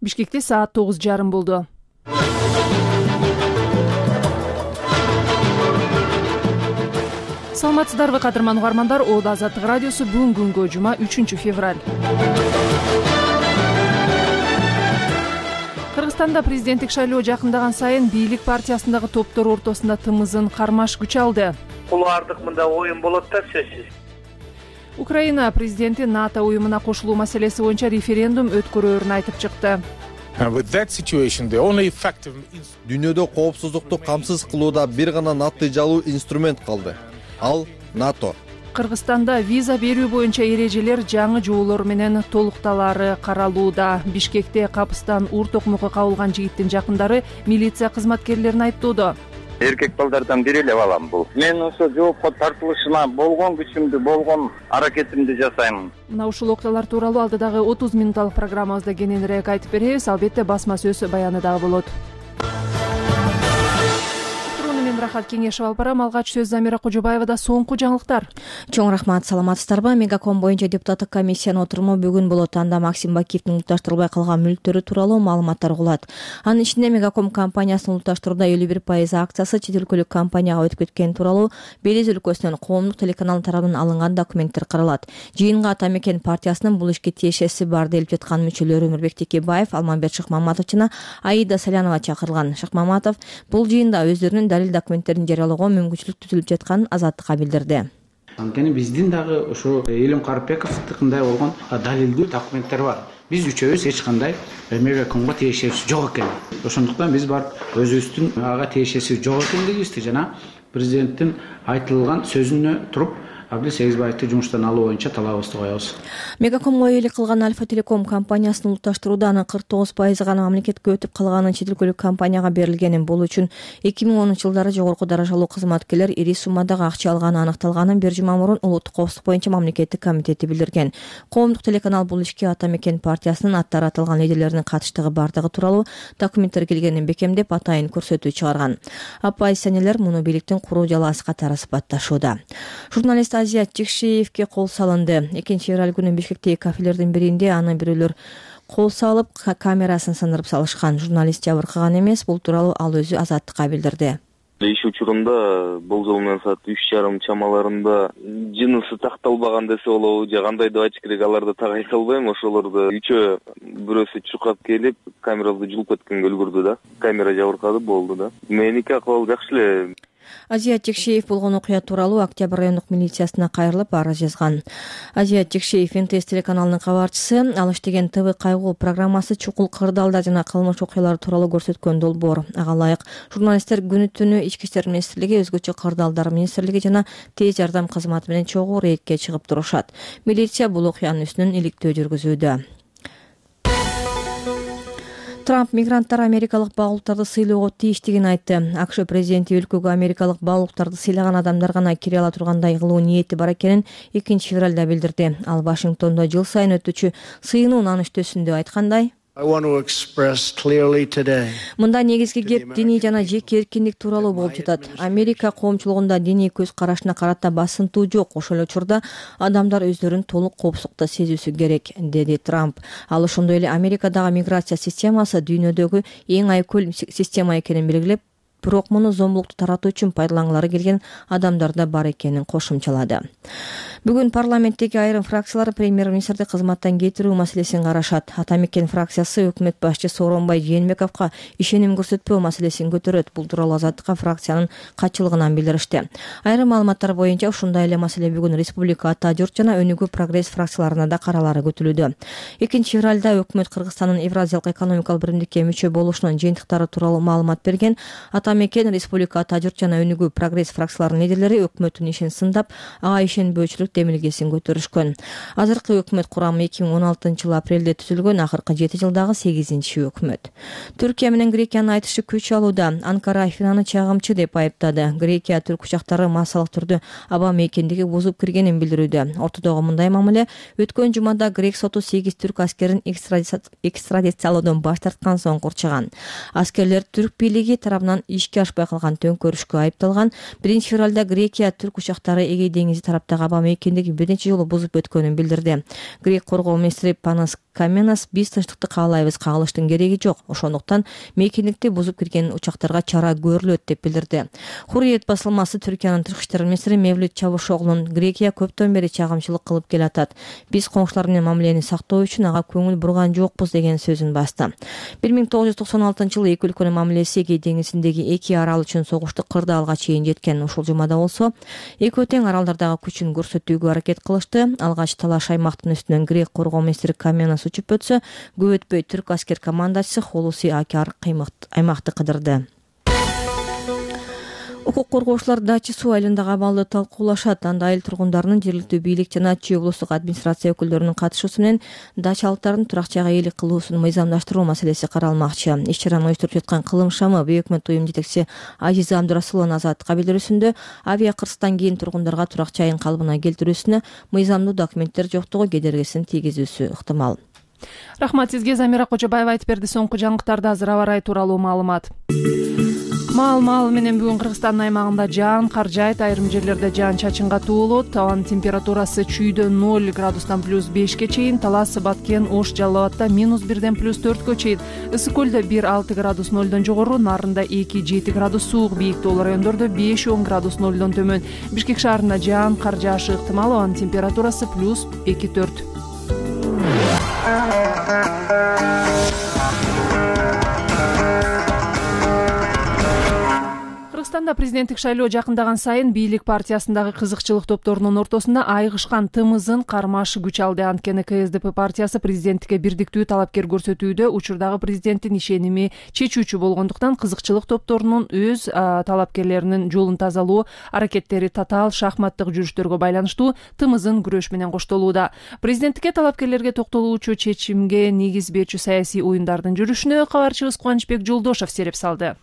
Бишкекте саат 9:30 болду. Саламатсыздарбы кадырман угармандар, Оодо Азаттык радиосу бүгүн күнгө жума 3 февраль. Кыргызстанда президенттик шайлоо жакындаган сайын бийлик партиясындагы топтор ортосунда тымызын кармаш күч алды. Кулуардык мында оюн болот да сөзсүз. Украина президенти НАТО уюмуна кошулуу маселеси боюнча референдум өткөрөөрүн айтып чыкты. Дүйнөдө коопсуздукту камсыз кылууда бир гана натыйжалуу инструмент калды. Ал НАТО. Кыргызстанда виза берүү боюнча эрежелер жаңы жоболор менен толукталары каралууда. Бишкекте капыстан ур токмокко кабылган жигиттин жакындары милиция кызматкерлерин айыптоодо. Эркек балдардан бири эле балам бул. Мен ошо жоопко тартылышына болгон күчүмдү, болгон аракетимди жасайм. Мына ушул окуялар тууралуу алдыдагы 30 минутталык программабызда кененирээк айтып беребиз. Албетте басма сөз баяны дагы болот. Мен Рахат Кеңешев алып барам. Алгач сөз Замира Кожобаевада. Соңку жаңылыктар. Чоң рахмат, саламатсыздарбы? Мегаком боюнча депутаттык комиссиянын отуруму бүгүн болот. Анда Максим Бакиевдин улутташтырылбай калган мүлктөрү тууралуу маалыматтар угулат. Анын ичинде Мегаком компаниясынын улутташтырууда 51% акциясы чет өлкөлүк компанияга өтүп кеткени тууралуу Белиз өлкөсүнөн коомдук телеканал тарабынан алынган документтер каралат. Жыйынга Ата Мекен партиясынын бул ишке тиешеси бар делип жаткан мүчөлөрү Өмүрбек Текебаев, Алмамбет Шыкмаматов жана Аида Салянова чакырылган. Шыкмаматов бул жыйында өздөрүнүн далил документтерин жарыялоого мүмкүнчүлүк түзүлүп жатканын Азаттыкка билдирди. Анткени биздин дагы ошо Элим Карпековдикындай болгон далилдүү документтер бар. Биз үчөөбүз эч кандай Мегакомго тиешеси жок экен. Ошондуктан биз барып өзүбүздүн ага тиешеси жок экендигибизди жана президенттин айтылган сөзүнө туруп Абдил Сегизбаевди жумуштан алуу боюнча талабыбызды коебуз. Мегакомго ыйлык кылган Альфа Телеком компаниясынын улутташтырууда анын 49% гана мамлекетке өтүп калганын чет өлкөлүк компанияга берилгенин, бул үчүн 2010-жылдары жогорку даражалуу кызматкерлер ири суммадагы акча алганы аныкталганын бир жума мурун Улуттук коопсуздук боюнча мамлекеттик комитети билдирген. Коомдук телеканал бул ишке Ата Мекен партиясынын аттары аталган лидерлеринин катыштыгы бардыгы тууралуу документтер келгенин бекемдеп, атайын көрсөтүү чыгарган. Оппозиционерлер муну бийликтин куруу жалаасы катары сыпатташууда. Журналист Азия Чекшеевке кол салынды. 2 февраль күнү Бишкектеги кафелердин биринде аны бирөөлөр кол салып, камерасын сындырып салышкан. Журналист жабыркаган эмес, бул тууралуу ал өзү Азаттыкка билдирди. Иш учурунда болжол менен саат 3:30 чамаларында жынысы такталбаган десе болобу, же кандай деп айтыш керек, аларды так айта албайм. Ошолорду үчөө бирөөсү чуркап келип, камераларды жулуп кеткенге үлгүрдү да. Камера жабыркады, болду да. Меники акыбал жакшы эле. Азия Чекшеев болгон окуя тууралуу Октябрь райондук милициясына кайрылып арыз жазган. Азия Чекшеев НТС телеканалынын кабарчысы. Ал иштеген ТВ кайгуу программасы чукул кырдаалдар жана кылмыш окуялары тууралуу көрсөткөн долбоор. Ага ылайык журналисттер күнү түнү Ички иштер министрлиги, өзгөчө кырдаалдар министрлиги жана тез жардам кызматы менен чогуу рейдке чыгып турушат. Милиция бул окуянын үстүнөн иликтөө жүргүзүүдө. Трамп мигранттар америкалык багуулуктарды сыйлоого тийиштигин айтты. АКШ президенти өлкөгө америкалык багуулуктарды сыйлаган адамдар гана кире ала тургандай кылуу ниети бар экенин 2 февралда билдирди. Ал Вашингтондо жыл сайын өтүүчү сыйынуу наныштөөсүндө айткандай: Мында негизги кеп диний жана жеке эркиндик тууралуу болуп жатат. Америка коомчулугунда диний көз карашына карата басынтуу жок. Ошол учурда адамдар өздөрүн толук коопсуздукта сезүүсү керек, деди Трамп. Ал ошондой эле Америкадагы миграция системасы дүйнөдөгү эң айкөл система экенин белгилеп, бирок муну зомбулукту таратуу үчүн пайдалангылары келген адамдар да бар экенин кошумчалады. Бүгүн парламенттеги айрым фракциялар премьер-министрди кызматтан кетирүү маселесин карашат. Ата Мекен фракциясы өкмөт башчы Сооронбай Жээнбековго ишеним көрсөтпөө маселесин көтөрөт. Бул тууралуу Азаттыкка фракциянын катчылыгынан билдиришти. Айрым маалыматтар боюнча ушундай эле маселе бүгүн Республика Ата Журт жана Өнүгүү Прогресс фракцияларына да каралары көтүлүүдө. 2 февралда өкмөт Кыргызстандын Евразиялык экономикалык биримдикке мүчө болушунун жыйынтыктары тууралуу маалымат берген. Ата Мекен, Республика Ата Журт жана Өнүгүү Прогресс фракцияларынын лидерлери өкмөттүн ишин сындап, ага ишенбөөчүлүк демилгесин көтөрүшкөн. Азыркы өкмөт курамы 2016-жылы апрелде түзүлгөн, акыркы 7 жылдагы 8-өкмөт. Түркия менен Грекиянын айтышы күч алууда. Анкара Афинаны чагымчы деп айыптады. Грекия түрк учактары массалык түрдө аба мейкиндиги бузуп киргенин билдирүүдө. Ортодогу мындай мамиле өткөн жумада грек соту 8 түрк аскерин экстрадициялоодон баш тарткан соң курчаган. Аскерлер түрк бийлиги тарабынан ишке ашпай калган төңкөрүшкө айыпталган. 1 февралда Грекия түрк учактары Эгей деңизи тараптагы аба мейкиндиги бир нече жолу бузуп өткөнүн билдирди. Грек коргоо министри Панас Каменас биз тынчтыкты каалайбыз, кагылыштын кереги жок. Ошондуктан мейкиндикти бузуп кирген учактарга чара көрүлөт деп билдирди. Hurriyet басылмасы Түркиянын тышкы иштер министри Мевлют Чавушоглунун Грекия көптөн бери чагымчылык кылып келатат. Биз коңшулар менен мамилени сактоо үчүн ага көңүл бурган жокпуз деген сөзүн басты. 1996-жылы эки өлкөнүн мамилеси Эгей деңизиндеги эки арал үчүн согушту кырдаалга чейин жеткен. Ушул жумада болсо эки тең аралдардагы күчүн көрсөтүүгө аракет кылышты. Алгач талаш аймактын үстүнөн грек коргоо министри Каменас учуп өтсө, көп өтпөй түрк аскер командачысы Холуси Акар аймакты кыдырды. Укук коргоочулар Дачи суу айылындагы абалды талкуулашат. Анда айыл тургундарынын жергиликтүү бийлик жана Чүй облустук администрация өкүлдөрүнүн катышуусу менен дачалыктардын турак жайга ээлик кылуусун мыйзамдаштыруу маселеси каралмакчы. Иш-чараны уюштуруп жаткан Кылым шамы Бейөкмөт уюм жетекчиси Ажиза Абдурасулованын Азаттыкка билдирүүсүндө авиа кырсыктан кийин тургундарга турак жайын калыбына келтирүүсүнө мыйзамдуу документтер жоктугу кедергисин тийгизүүсү ыктымал. Рахмат сизге. Замира Кожобаева айтып берди. Соңку жаңылыктарда азыр аба ырайы тууралуу маалымат. Маал менен бүгүн Кыргызстандын аймагында жаан кар жаайт, айрым жерлерде жаан чачынга туулот. Абанын температурасы Чүйдө 0 градустан +5ке чейин, Талас, Баткен, Ош, Жалал Абадта -1ден +4кө чейин, Ысык көлдө 1-6 градус 0дон жогору, Нарында 2-7 градус суук, бийик тоол райондордо 5-10 градус 0дон төмөн. Бишкек шаарында жаан кар жаашы ыктымал, абанын температурасы +2-4. Кыргызстанда президенттик шайлоо жакындаган сайын бийлик партиясындагы кызыкчылык топторунун ортосунда айгышкан тымызын кармаш күч алды. Анткени КСДП партиясы президенттикке бирдиктүү талапкер көрсөтүүдө учурдагы президенттин ишеними чечүүчү болгондуктан кызыкчылык топторунун өз талапкерлеринин жолун тазалоо аракеттери татаал шахматтык жүрүштөргө байланыштуу тымызын күрөш менен коштолууда. Президенттикке талапкерлерге токтолуучу чечимге негиз берчү саясий оюндардын жүрүшүнө кабарчыбыз Кубанычбек Жолдошов сереп салды.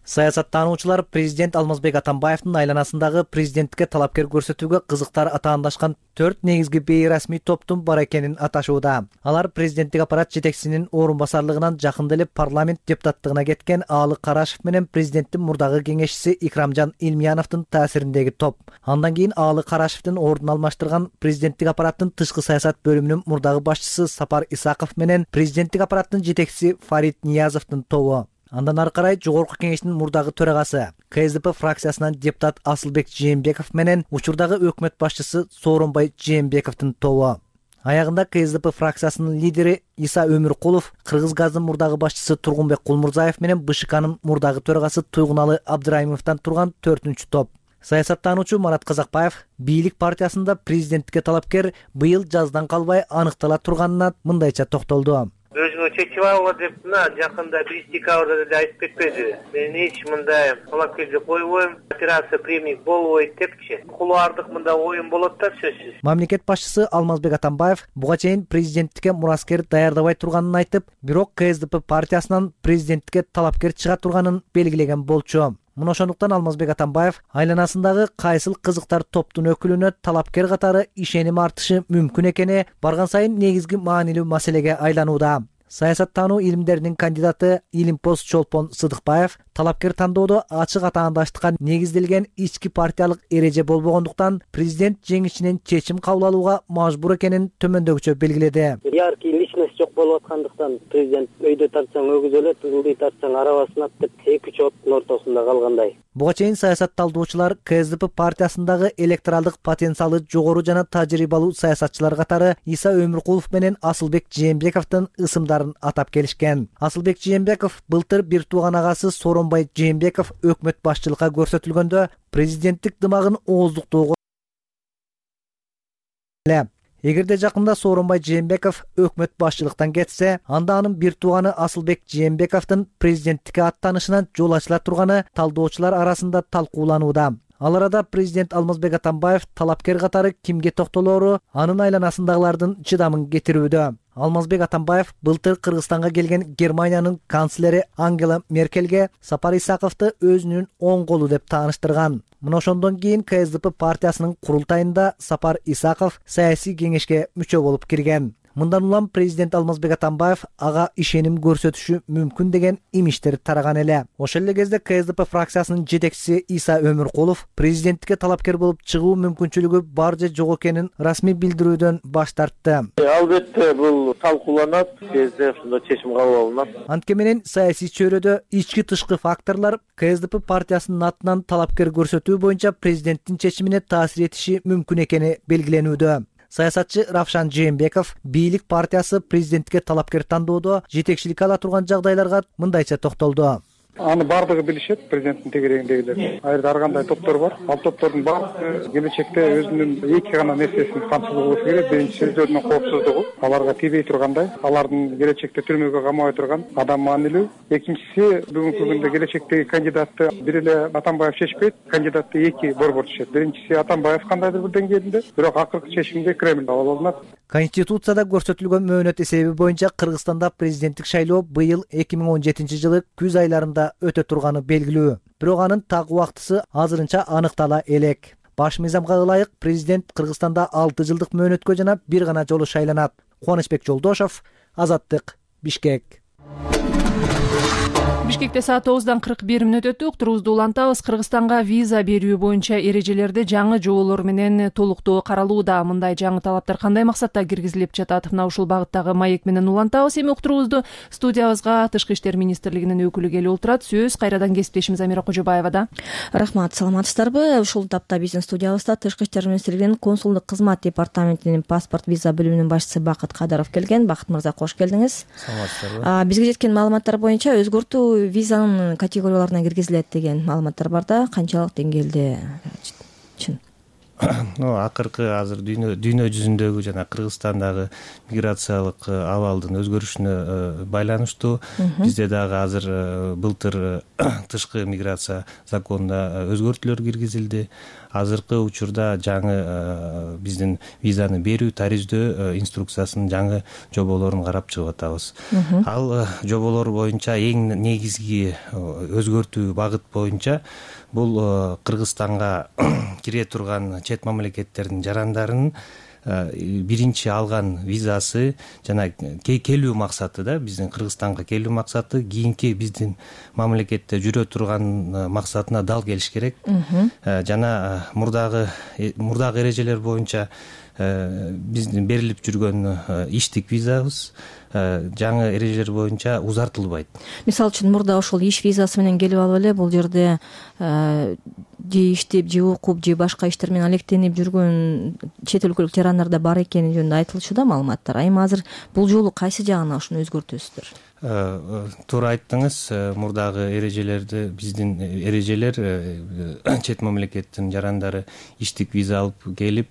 Саясаттануучулар президент Алмазбек Атамбаевдин айланасындагы президенттикке талапкер көрсөтүүгө кызыктар атаандашкан 4 негизги бейрасмий топтун бар экенин аташууда. Алар президенттик аппарат жетекчисинин орун басарлыгынан жакында эле парламент депутаттыгына кеткен Аалы Карашев менен президенттин мурдагы кеңешчиси Икрамжан Илмияновдун таасириндеги топ. Андан кийин Аалы Карашевдин ордун алмаштырган президенттик аппараттын тышкы саясат бөлүмүнүн мурдагы башчысы Сапар Исаков менен президенттик аппараттын жетекчиси Фарид Ниязовдун тобу. Андан ары карай жогорку кеңештин мурдагы төрагасы КСДП фракциясынан депутат Асылбек Жээнбеков менен учурдагы өкмөт башчысы Сооронбай Жээнбековдун тобу. Аягында КСДП фракциясынын лидери Иса Өмүркулов, Кыргыз газдын мурдагы башчысы Тургунбек Кулмурзаев менен БШКнын мурдагы төрагасы Туйгуналы Абдырайымовдон турган 4-чү топ. Саясаттануучу Марат Казакбаев бийлик партиясында президенттикке талапкер быйыл жаздан калбай аныктала турганына мындайча токтолду. Өзүңө чечип алгыла деп жакында 1 декабрда деле айтып кетпеди. Мен эч мындай талапкерди койбойм, операция премик болбойт депчи. Кулуардык мында оюн болот да сөзсүз. Мамлекет башчысы Алмазбек Атамбаев буга чейин президенттикке мураскер даярдабай турганын айтып, бирок КСДП партиясынан президенттикке талапкер чыга турганын белгилеген болчу. Мына ошондуктан Алмазбек Атамбаев айланасындагы кайсыл кызыктар топтун өкүлүнө талапкер катары ишеним артышы мүмкүн экени барган сайын негизги маанилүү маселеге айланууда. Саясаттануу илимдеринин кандидаты Илимпоз Чолпон Сыдыкбаев талапкер тандоодо ачык атаандаштыкка негизделген ички партиялык эреже болбогондуктан президент жеңишинен чечим кабыл алууга мажбур экенин төмөндөгүчө белгиледи. Яркий личность жок болуп аткандыктан президент өйдө тартсаң өгүз өлөт, ылдый тартсаң арабасынат деп 2 оттун ортосунда калгандай. Буга чейин саясатталдоочулар КСДП партиясындагы электоралдык потенциалы жогору жана тажрыйбалуу саясатчылар катары Иса Өмүркулов менен Асылбек Жээнбековдун ысымдарын атап келишкен. Асылбек Жээнбеков былтыр бир тууган агасы Сооронбай Жээнбеков өкмөт башчылыкка көрсөтүлгөндө президенттик дымагын ооздуктоого Эгерде жакында Сооронбай Жээнбеков өкмөт башчылыктан кетсе, анда анын бир тууганы Асылбек Жээнбековдун президенттикке аттанышынан жол ачыла турганы талдоочулар арасында талкууланууда. Ал арада президент Алмазбек Атамбаев талапкер катары кимге токтолоору анын айланасындагылардын чыдамын кетирүүдө. Алмазбек Атамбаев былтыр Кыргызстанга келген Германиянын канцлери Ангела Меркельге Сапар Исаковду өзүнүн оң колу деп тааныштырган. Мына ошондон кийин КСДП партиясынын курултайында Сапар Исаков саясий кеңешке мүчө болуп кирген. Мындан улам президент Алмазбек Атамбаев ага ишеним көрсөтүшү мүмкүн деген имиштер тараган эле. Ошол эле кезде КСДП фракциясынын жетекчиси Иса Өмүркулов президенттикке талапкер болуп чыгуу мүмкүнчүлүгү бар же жок экенин расмий билдирүүдөн баш тартты. Албетте бул талкууланат, кезде ушундай чечим кабыл алынат. Антке менен саясий чөйрөдө ички тышкы факторлор КСДП партиясынын атынан талапкер көрсөтүү боюнча президенттин чечимине таасир этиши мүмкүн экени белгиленүүдө. Саясатчы Равшан Жээнбеков бийлик партиясы президенттикке талапкер тандоодо жетекчилик ала турган жагдайларга мындайча токтолду. Аны бардыгы билишет, президенттин тегерегиндегилер. Айрда ар кандай топтор бар. Ал топтордун баардыгы келечекте өзүнүн эки гана нерсесин камсыз болушу керек. Биринчиси өздөрүнүн коопсуздугу, аларга тийбей тургандай, алардын келечекте түрмөгө камабай турган адам маанилүү. Экинчиси бүгүнкү күндө келечектеги кандидатты бир эле Атамбаев чечпейт, кандидатты эки борбор чечет. Биринчиси Атамбаев кандайдыр бир деңгээлинде, бирок акыркы чечимди Кремль кабыл алат. Конституцияда көрсөтүлгөн мөөнөт эсеби боюнча Кыргызстанда президенттик шайлоо быйыл 2017 жылы күз айларында өтө турганы белгилүү. Бирок анын так убактысы азырынча аныктала элек. Баш мыйзамга ылайык президент Кыргызстанда 6 жылдык мөөнөткө жана бир гана жолу шайланат. Кубанычбек Жолдошов, Азаттык, Бишкек. Бишкекте саат 9:41 өтүп, уктуруубузду улантабыз. Кыргызстанга виза берүү боюнча эрежелерди жаңы жоболор менен толуктоо каралууда. Мындай жаңы талаптар кандай максатта киргизилип жатат? Мына ушул багыттагы маек менен улантабыз. Эми уктуруубузду студиябызга Тышкы иштер министрлигинин өкүлү келип отурат. Сөз кайрадан кесиптешimiz Амира Кожобаевада. Рахмат, саламатсыздарбы? Ушул тапта биздин студиябызда Тышкы иштер министрлигинин консулдук кызмат департаментинин паспорт виза бөлүмүнүн башчысы Бакыт Кадыров келген. Бакыт мырза, кош келдиңиз. Саламатсыздарбы? Бизге жеткен маалыматтар боюнча өзгөртүү визанын категорияларына киргизилет деген маалыматтар бар да, канчалык деңгээлде чын? Акыркы азыр дүйнө жүзүндөгү жана Кыргызстандагы миграциялык абалдын өзгөрүшүнө байланыштуу бизде дагы азыр былтыр тышкы миграция законуна өзгөртүүлөр киргизилди. Азыркы учурда жаңы биздин визаны берүү тарифтөө инструкциясынын жаңы жоболорун карап чыгып атабыз. Ал жоболор боюнча эң негизги өзгөртүү багыт боюнча бул Кыргызстанга кире турган чет мамлекеттердин жарандарынын биринчи алган визасы жана келүү максаты да, биздин Кыргызстанга келүү максаты кийинки биздин мамлекетте жүрө турган максатына дал келиш керек. Жана мурдагы эрежелер боюнча биздин берилип жүргөн иштик визабыз жаңы эрежелер боюнча узартылбайт. Мисалы үчүн мурда ошол иш визасы менен келип алып эле бул жерде же иштеп, же окуп, же башка иштер менен алектенип жүргөн чет өлкөлүк жарандар да бар экени жөнүндө айтылчу да маалыматтар. Эми азыр бул жолу кайсы жагына ушуну өзгөртөсүздөр? Туура айттыңыз. Мурдагы эрежелерди биздин эрежелер чет мамлекеттин жарандары иштик виза алып келип,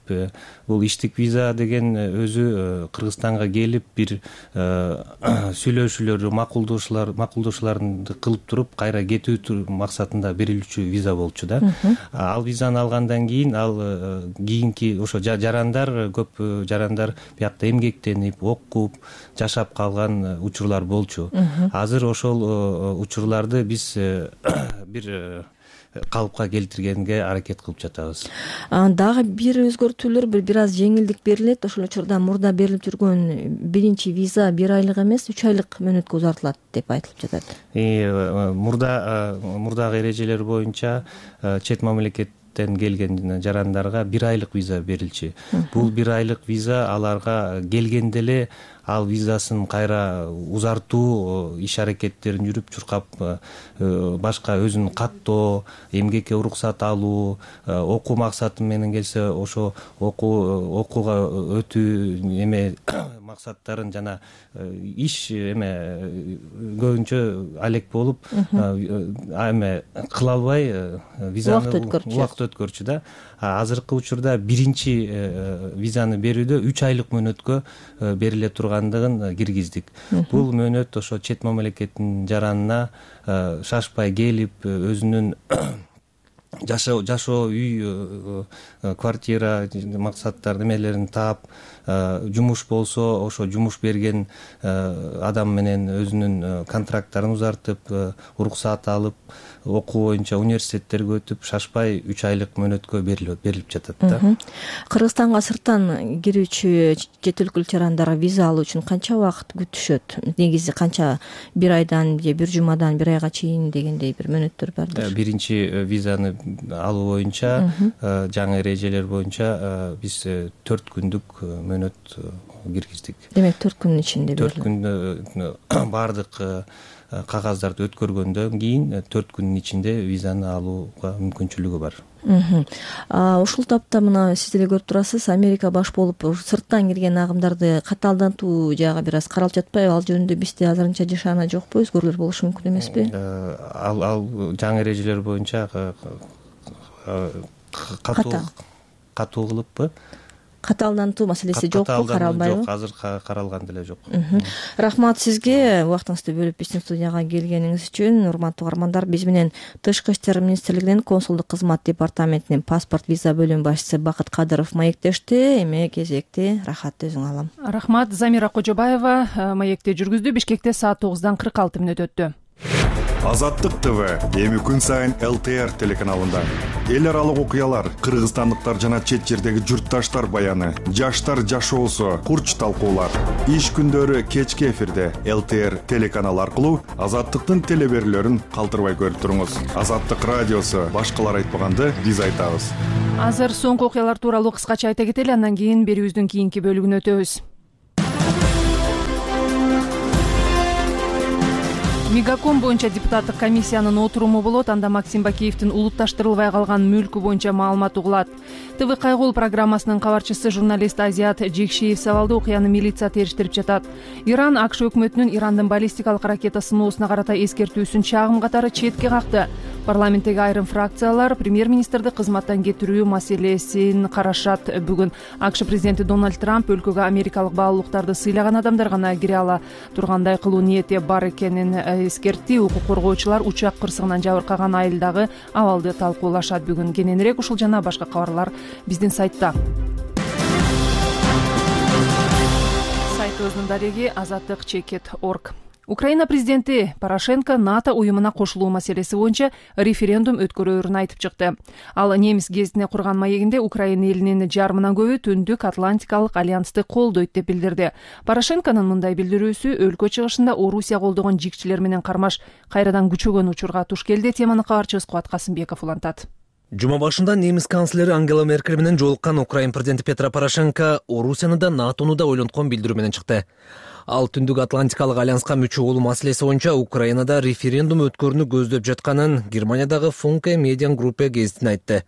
бул иштик виза деген өзү Кыргызстанга келип бир сүйлөшүүлөр, макулдашууларды кылып туруп кайра кетүү максатында берилүүчү виза болчу да. Ал визаны алгандан кийин ал кийинки ошо жарандар, көп жарандар биякта эмгектенип, окуп, жашап калган учурлар болчу. Азыр ошол учурларды биз бир калыпка келтиргенге аракет кылып жатабыз. Дагы бир өзгөртүүлөр, бир аз жеңилдик берилет. Ошол учурда мурда берилип жүргөн биринчи виза 1 айлык эмес, 3 айлык мөөнөткө узартылат деп айтылып жатат. Мурдагы эрежелер боюнча чет мамлекеттен келген жарандарга 1 айлык виза берилчү. Бул 1 айлык виза аларга келгенде эле ал визасын кайра узартуу иш аракеттерин жүрүп чуркап, башка өзүнүн каттоо, эмгекке уруксат алуу, окуу максаты менен келсе ошо окууга өтүү максаттарын жана иш көбүнчө алек болуп кыла албай визаны убакыт өткөрчү да. Азыркы учурда биринчи визаны берүүдө 3 айлык мөөнөткө бериле тургандыгын киргиздик. Бул мөөнөт ошо чет мамлекеттин жаранына шашпай келип, өзүнүн жашоо үй, квартира максаттар немелерин таап, жумуш болсо ошо жумуш берген адам менен өзүнүн контракттарын узартып, уруксаат алып, окуу боюнча университеттерге өтүп, шашпай 3 айлык мөөнөткө берилип жатат да. Кыргызстанга сырттан кирүүчү чет өлкөлүк жарандар виза алуу үчүн канча убакыт күтүшөт? Негизи канча, бир айдан же бир жумадан бир айга чейин дегендей бир мөөнөттөр бардыр? Биринчи визаны алуу боюнча, жаңы эрежелер боюнча биз 4 күндүк мөөнөт киргиздик. Демек 4 күндүн ичинде 4 күндө баардык кагаздарды өткөргөндөн кийин 4 күндүн ичинде визаны алууга мүмкүнчүлүгү бар. Ушул тапта мына сиз деле көрүп турасыз, Америка баш болуп сырттан кирген агымдарды катаалдантуу жагы бир аз каралып жатпайбы? Ал жөнүндө бизде азырынча жашаана жокпу, өзгөрүүлөр болушу мүмкүн эмеспи? Ал жаңы эрежелер боюнча катуу кылыппы? Катаалдантуу маселеси жокпу, каралбайбы? Жок, азыр каралган деле жок. Рахмат сизге убактыңызды бөлүп биздин студияга келгениңиз үчүн. Урматтуу угармандар, биз менен Тышкы иштер министрлигинин консулдук кызмат департаментинин паспорт виза бөлүм башчысы Бакыт Кадыров маектешти. Эми кезекти Рахат өзүң алам. Рахмат. Замира Кожобаева маекти жүргүздү. Бишкекте саат 9:46 өттү. Азаттык ТВ эми күн сайын ЛТР телеканалында эл аралык окуялар, кыргызстандыктар жана чет жердеги журтташтар баяны, жаштар жашоосу, курч талкуулар. Иш күндөрү кечки эфирде ЛТР телеканалы аркылуу Азаттыктын телеберүүлөрүн калтырбай көрүп туруңуз. Азаттык радиосу башкалар айтпаганды биз айтабыз. Азыр соңку окуялар тууралуу кыскача айта кетели, андан кийин берүүбүздүн кийинки бөлүгүнө өтөбүз. Мегаком боюнча депутаттык комиссиянын отуруму болот. Анда Максим Бакиевдин улутташтырылбай калган мүлкү боюнча маалымат угулат. ТВ Кайгул программасынын кабарчысы журналист Азият Жекшиев сабалды окуяны милиция териштирип жатат. Иран АКШ өкмөтүнүн Ирандын баллистикалык ракета сыноосуна карата эскертүүсүн чагым катары четке какты. Парламенттеги айрым фракциялар премьер-министрди кызматтан кетирүү маселесин карашат. Бүгүн АКШ президенти Дональд Трамп өлкөгө америкалык баалуулуктарды сыйлаган адамдар гана кире ала тургандай кылуу ниети бар экенин эскертти. Укук коргоочулар учак кырсыгынан жабыркаган айылдагы абалды талкуулашат. Бүгүн кененирээк ушул жана башка кабарлар биздин сайтта. Сайтыбыздын дареги azatlyk.org. Украина президенти Порошенко НАТО уюмуна кошулуу маселеси боюнча референдум өткөрөөрүн айтып чыкты. Ал немис гезитине курган маегинде Украина элинин жарымынан көбү Түндүк Атлантикалык альянсты колдойт деп билдирди. Порошенконун мындай билдирүүсү өлкө чыгышында Орусия колдогон жикчилер менен кармаш кайрадан күчөгөн учурга туш келди. Теманы кабарчыбыз Кубат Касымбеков улантат. Жума башында немис канцлери Ангела Меркель менен жолуккан Украин президенти Петро Порошенко Орусияны да НАТОну да ойлонткон билдирүү менен чыкты. Ал Түндүк Атлантикалык альянска мүчө болуу маселеси боюнча Украинада референдум өткөрүүнү көздөп жатканын Германиядагы Funke Median Gruppe гезитине айтты.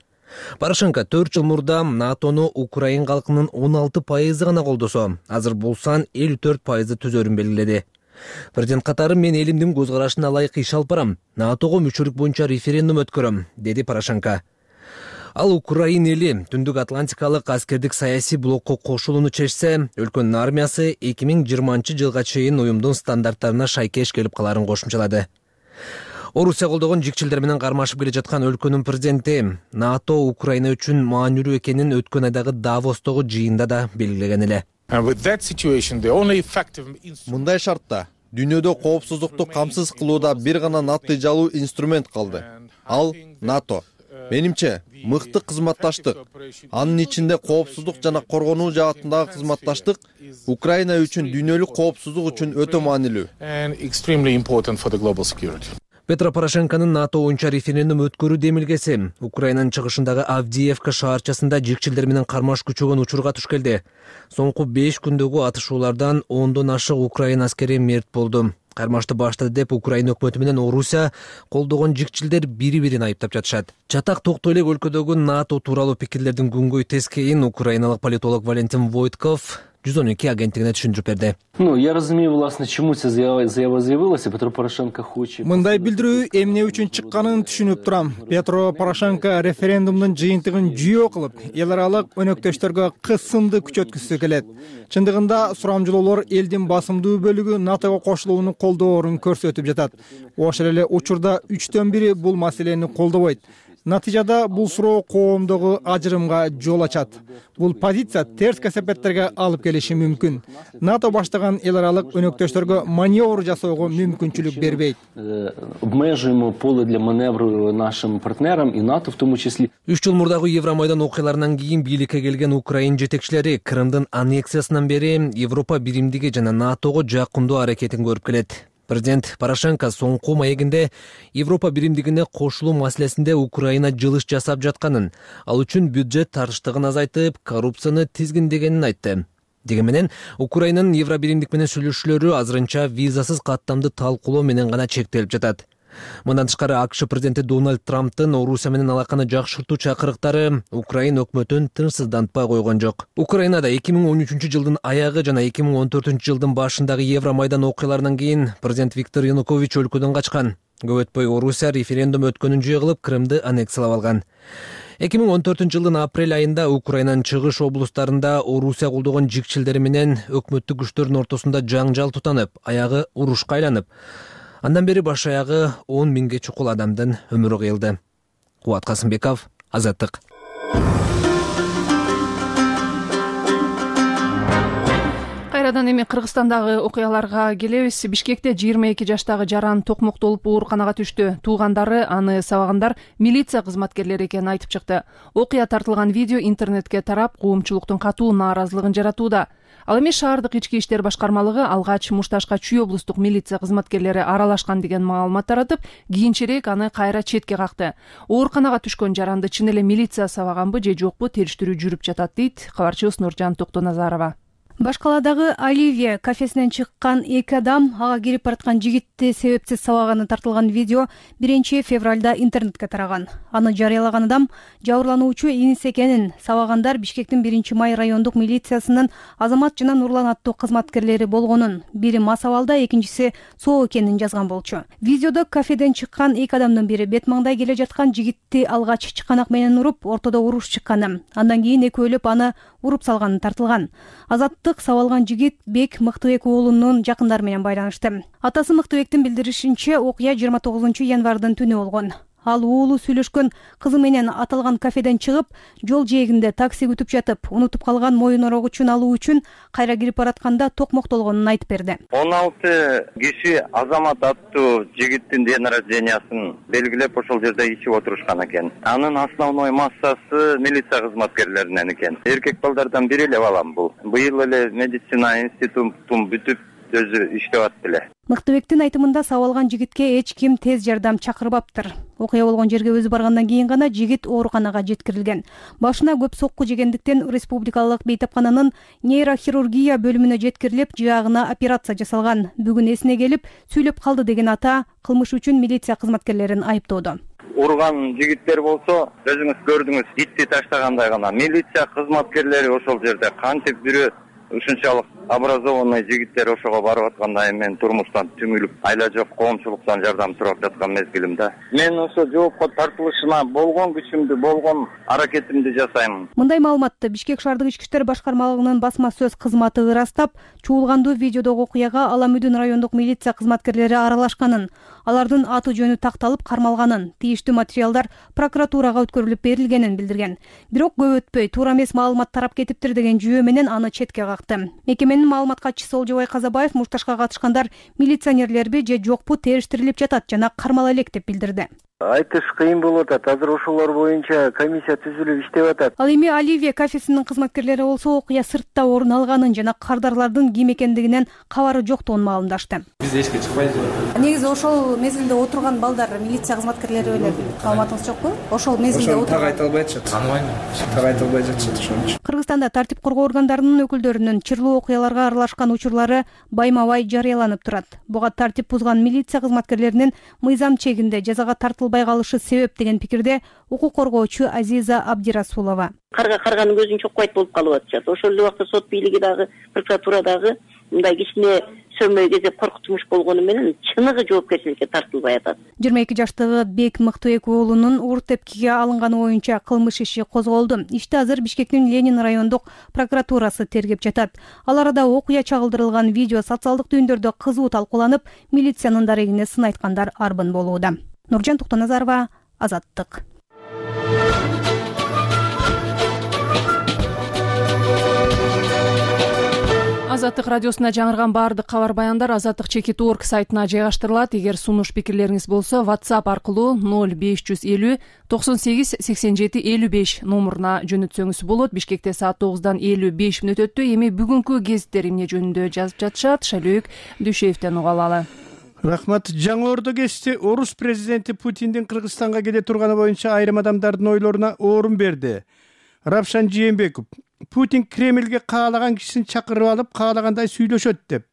Порошенко 4 жыл мурда НАТОну Украин калкынын 16% гана колдосо, азыр бул сан 54% түзөрүн белгиледи. Президент катары мен элимдин көз карашына ылайык иш алып барам, НАТОго мүчөлүк боюнча референдум өткөрөм, деди Порошенко. Ал Украин эли Түндүк Атлантикалык аскердик саясий блокко кошулууну чечсе, өлкөнүн армиясы 2020 жылга чейин уюмдун стандарттарына шайкеш келип каларын кошумчалады. Орусия колдогон жикчилдер менен кармашып келе жаткан өлкөнүн президенти НАТО Украина үчүн маанилүү экенин өткөн айдагы Давостогу жыйында да белгилеген эле. Мындай шартта дүйнөдө коопсуздукту камсыз кылууда бир гана натыйжалуу инструмент калды. Ал НАТО. Менимче, мыкты кызматташтык, анын ичинде коопсуздук жана коргонуу жаатындагы кызматташтык Украина үчүн дүйнөлүк коопсуздук үчүн өтө маанилүү. Петро Порошенконун НАТО боюнча референдум өткөрүү демилгеси Украинанын чыгышындагы Авдиевка шаарчасында жикчилдер менен кармаш күчөгөн учурга туш келди. Соңку 5 күндөгү атышуулардан 10дон ашык Украина аскери мерт болду. Кармашты баштады деп Украина өкмөтү менен Орусия колдогон жикчилдер бири-бирин айыптап жатышат. Чатак токтой элек өлкөдөгү НАТО тууралуу пикирлердин күнгөй тескейин украиналык политолог Валентин Войтков 112 агенттигине түшүндүрүп берди. Я разумею, власне, чему ця заява заявилася. Петро Порошенко хоче. Мындай билдирүү эмне үчүн чыкканын түшүнүп турам. Петро Порошенко референдумдун жыйынтыгын жүйө кылып, эл аралык өнөктөштөргө кысымды күчөткүсү келет. Чындыгында сурамжылоолор элдин басымдуу бөлүгү НАТОго кошулууну колдоорун көрсөтүп жатат. Ошол эле учурда 3төн 1 бул маселени колдобойт. Натыйжада бул суроо коомдогу ажырымга жол ачат. Бул позиция терс кесепеттерге алып келиши мүмкүн. НАТО баштаган эл аралык өнөктөштөргө маневр жасоого мүмкүнчүлүк бербейт. Обмежуємо поле для маневру нашим партнерам и НАТО в тому числі. 3 жыл мурдагы Евромайдан окуяларынан кийин бийликке келген Украин жетекчилери Крымдын аннексиясынан бери Европа биримдиги жана НАТОго жакындоо аракетин көрүп келет. Президент Порошенко соңку маегинде Европа биримдигине кошулуу маселесинде Украина жылыш жасап жатканын, ал үчүн бюджет тартыштыгын азайтып, коррупцияны тизгиндегенин айтты. Дегенменен Украинанын Евробиримдик менен сүйлөшүүлөрү азырынча визасыз каттамды талкуулоо менен гана чектелип жатат. Мындан тышкары АКШ президенти Дональд Трамптын Орусия менен алаканы жакшыртуу чакырыктары Украина өкмөтүн тынчсыздантпай койгон жок. Украинада 2013 жылдын аягы жана 2014 жылдын башындагы Евромайдан окуяларынан кийин президент Виктор Янукович өлкөдөн качкан. Көп өтпөй Орусия референдум өткөнүн жөө кылып Крымды аннексиялап алган. 2014 жылдын апрель айында Украинанын чыгыш облустарында Орусия колдогон жикчилдери менен өкмөттүк күчтөрдүн ортосунда жаңжал тутанып, аягы урушка айланып, андан бери баш аягы 10 миңге чукул адамдын өмүрү кыйылды. Кубат Касымбеков, Азаттык. Кайрадан эми Кыргызстандагы окуяларга келебиз. Бишкекте 22 жаштагы жаран токмоктолуп ооруканага түштү. Туугандары аны сабагандар милиция кызматкерлери экенин айтып чыкты. Окуя тартылган видео интернетке тарап, коомчулуктун катуу нааразылыгын жаратууда. Ал эми шаардык ички иштер башкармалыгы алгач Мушташка Чүй облустук милиция кызматкерлери аралашкан деген маалымат таратып, кийинчерээк аны кайра четке какты. Ооруканага түшкөн жаранды чын эле милиция сабаганбы же жокпу териштирүү жүрүп жатат дейт кабарчыбыз Нуржан Токтоназарова. Башкаладагы Оливия кафесинен чыккан 2 адам ага кирип бараткан жигитти себепсиз сабаганы тартылган видео 1 февралда интернетке тараган. Аны жарыялаган адам жабырлануучу иниси экенин, сабагандар Бишкектин 1-май райондук милициясынын Азамат жана Нурлан аттуу кызматкерлери болгонун, бири мас абалда, экинчиси соо экенин жазган болчу. Видеодо кафеден чыккан 2 адамдын бири бет маңдай келе жаткан жигитти алгач чыканак менен уруп, ортодо уруш чыкканы, андан кийин экөөлөп аны уруп салганы тартылган. Азаттык сабалган жигит Бек Мыктыбек уулунун жакындары менен байланышты. Атасы Мыктыбектин билдиришинче, окуя 29 январдын түнү болгон. Ал уулу сүйлөшкөн кызы менен аталган кафеден чыгып, жол жээгинде такси күтүп жатып, унутуп калган моюн орогучун алуу үчүн кайра кирип баратканда токмоктолгонун айтып берди. 16 киши Азамат аттуу жигиттин ден рождениясын белгилеп ошол жерде ичип отурушкан экен. Анын основной массасы милиция кызматкерлеринен экен. Эркек балдардан бири эле балам бул. Быйыл эле медицина институтун бүтүп өзү иштеп атты эле. Мыктыбектин айтымында сабалган жигитке эч ким тез жардам чакырбаптыр. Окуя болгон жерге өзү баргандан кийин гана жигит ооруканага жеткирилген. Башына көп сокку жегендиктен республикалык бейтапкананын нейрохирургия бөлүмүнө жеткирилип, жаагына операция жасалган. Бүгүн эсине келип, сүйлөп калды деген ата кылмыш үчүн милиция кызматкерлерин айыптоодо. Урган жигиттер болсо, өзүңүз көрдүңүз, итти таштагандай гана. Милиция кызматкерлери ошол жерде кантип бирөө ушунчалык образованный жигиттер ошого барып атканда мен турмуштан түңүлүп, айла жок коомчулуктан жардам сурап жаткан мезгилимде мен ошо жоопко тартылышына болгон күчүмдү, болгон аракетимди жасайм. Мындай маалыматты Бишкек шаардык ички иштер башкармалыгынын басма сөз кызматы ырастап, чуулгандуу видеодогу окуяга Аламүдүн райондук милиция кызматкерлери аралашканын, алардын аты жөнү такталып кармалганын, тийиштүү материалдар прокуратурага өткөрүлүп берилгенин билдирген. Бирок көп өтпөй туура эмес маалымат тарап кетиптир деген жүйө менен аны четке какты. Мекеменин маалымат катчысы Олжобай Казабаев Мушташка катышкандар милиционерлерби же жокпу териштирилип жатат жана кармала элек деп билдирди. Айтыш кыйын болуп атат. Азыр ошолор боюнча комиссия түзүлүп иштеп атат. Ал эми Оливия кафесинин кызматкерлери болсо окуя сыртта орун алганын жана кардарлардын ким экендигинен кабары жоктугун маалымдашты. Биз эчке чыкпайбыз. Негизи ошол мезгилде отурган балдар милиция кызматкерлери беле, маалыматыңыз жокпу? Ошол мезгилде отурган. Так айта албай атышат. Тааныбайм. Так айта албай жатышат ошончу. Кыргызстанда тартип коргоо органдарынын өкүлдөрүнүн чырлуу окуяларга аралашкан учурлары байма-бай жарыяланып турат. Буга тартип бузган милиция кызматкерлеринин мыйзам чегинде жазага тартылбай калышы себеп деген пикирде укук коргоочу Азиза Абдирасулова. Карганын көзүн чокпойт болуп калып атышат. Ошол эле убакта сот бийлиги дагы, прокуратура дагы мындай кичине сөөмөй кезеп коркутмуш болгону менен чыныгы жоопкерчиликке тартылбай атат. 22 жаштагы Бек Мыктыбек уулунун ур тепкиге алынганы боюнча кылмыш иши козголду. Ишти азыр Бишкектин Ленин райондук прокуратурасы тергеп жатат. Ал арада окуя чагылдырылган видео социалдык түйүндөрдө кызуу талкууланып, милициянын дарегине сын айткандар арбын болууда. Нуржан Токтоназарова, Азаттык. Азаттык радиосуна жаңырган баардык кабар баяндар azattik.org сайтына жайгаштырылат. Эгер сунуш пикирлериңиз болсо WhatsApp аркылуу 0550 98 87 55 номуруна жөнөтсөңүз болот. Бишкекте саат 9-дан 55 мүнөт өттү. Эми бүгүнкү гезиттер эмне жөнүндө жазып жатышат? Шайлөөк Дүйшеевден уга алалы. Рахмат. Жаңы Ордо кечти орус президенти Путиндин Кыргызстанга келе турганы боюнча айрым адамдардын ойлоруна орун берди. Равшан Жээнбеков: Путин Кремльге каалаган кишисин чакырып алып, каалагандай сүйлөшөт деп.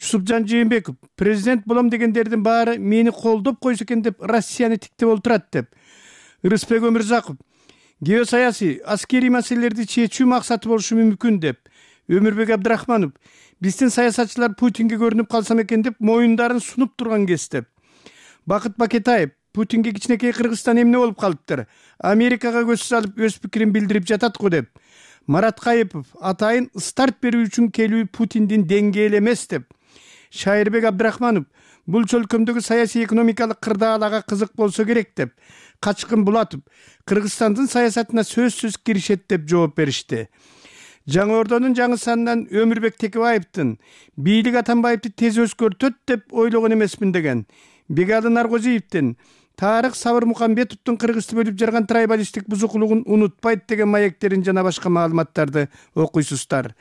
Жусупжан Жээнбеков: президент болом дегендердин баары мени колдоп койсо экен деп Россияны тиктеп олтурат деп. Рыспек Өмүрзаков: геосаясий, аскерий маселелерди чечүү максаты болушу мүмкүн деп. Өмүрбек Абдрахманов: биздин саясатчылар Путинге көрүнүп калсам экен деп моюндарын сунуп турган кез деп. Бакыт Бакетаев: Путинге кичинекей Кыргызстан эмне болуп калыптыр? Америкага көз салып өз пикирин билдирип жатат го деп. Марат Кайыпов: атайын старт берүү үчүн келүү Путиндин деңгээли эмес деп. Шайырбек Абдрахманов: бул чөлкөмдөгү саясий экономикалык кырдаалага кызык болсо керек деп. Качкын Булатов: Кыргызстандын саясатына сөзсүз киришет деп жооп беришти. Жаңы Ордонун жаңы санынан Өмүрбек Текебаевдин бийлик Атамбаевди тез өзгөртөт деп ойлогон эмесмин деген. Бегалы Наргозиевдин Тарык Сабыр Мукамбетовдун Кыргызды бөлүп жарган трайбалисттик бузукулугун унутпайт деген маектерин жана башка маалыматтарды окуйсуздар.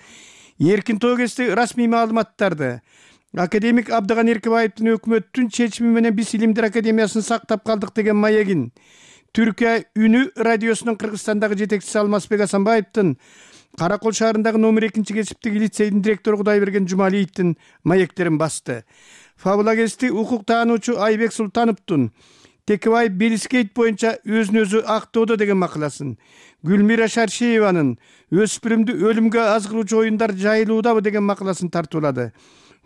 Эркин Тоогести расмий маалыматтарды. Академик Абдыган Эркебаевдин өкмөттүн чечими менен биз Илимдер Академиясын сактап калдык деген маегин. Түркия Үнү радиосунун Кыргызстандагы жетекчиси Алмазбек Асанбаевдин Каракол шаарындагы номер 2-кесиптик лицейдин директору Кудайберген Жумалиевдин маектерин басты. Фабулагести укук таануучу Айбек Султановдун Текебаев Белискейт боюнча өзүн өзү актоодо деген макаласын, Гүлмира Шаршееванын өспүрүмдү өлүмгө аз кылуучу оюндар жайылуудабы деген макаласын тартуулады.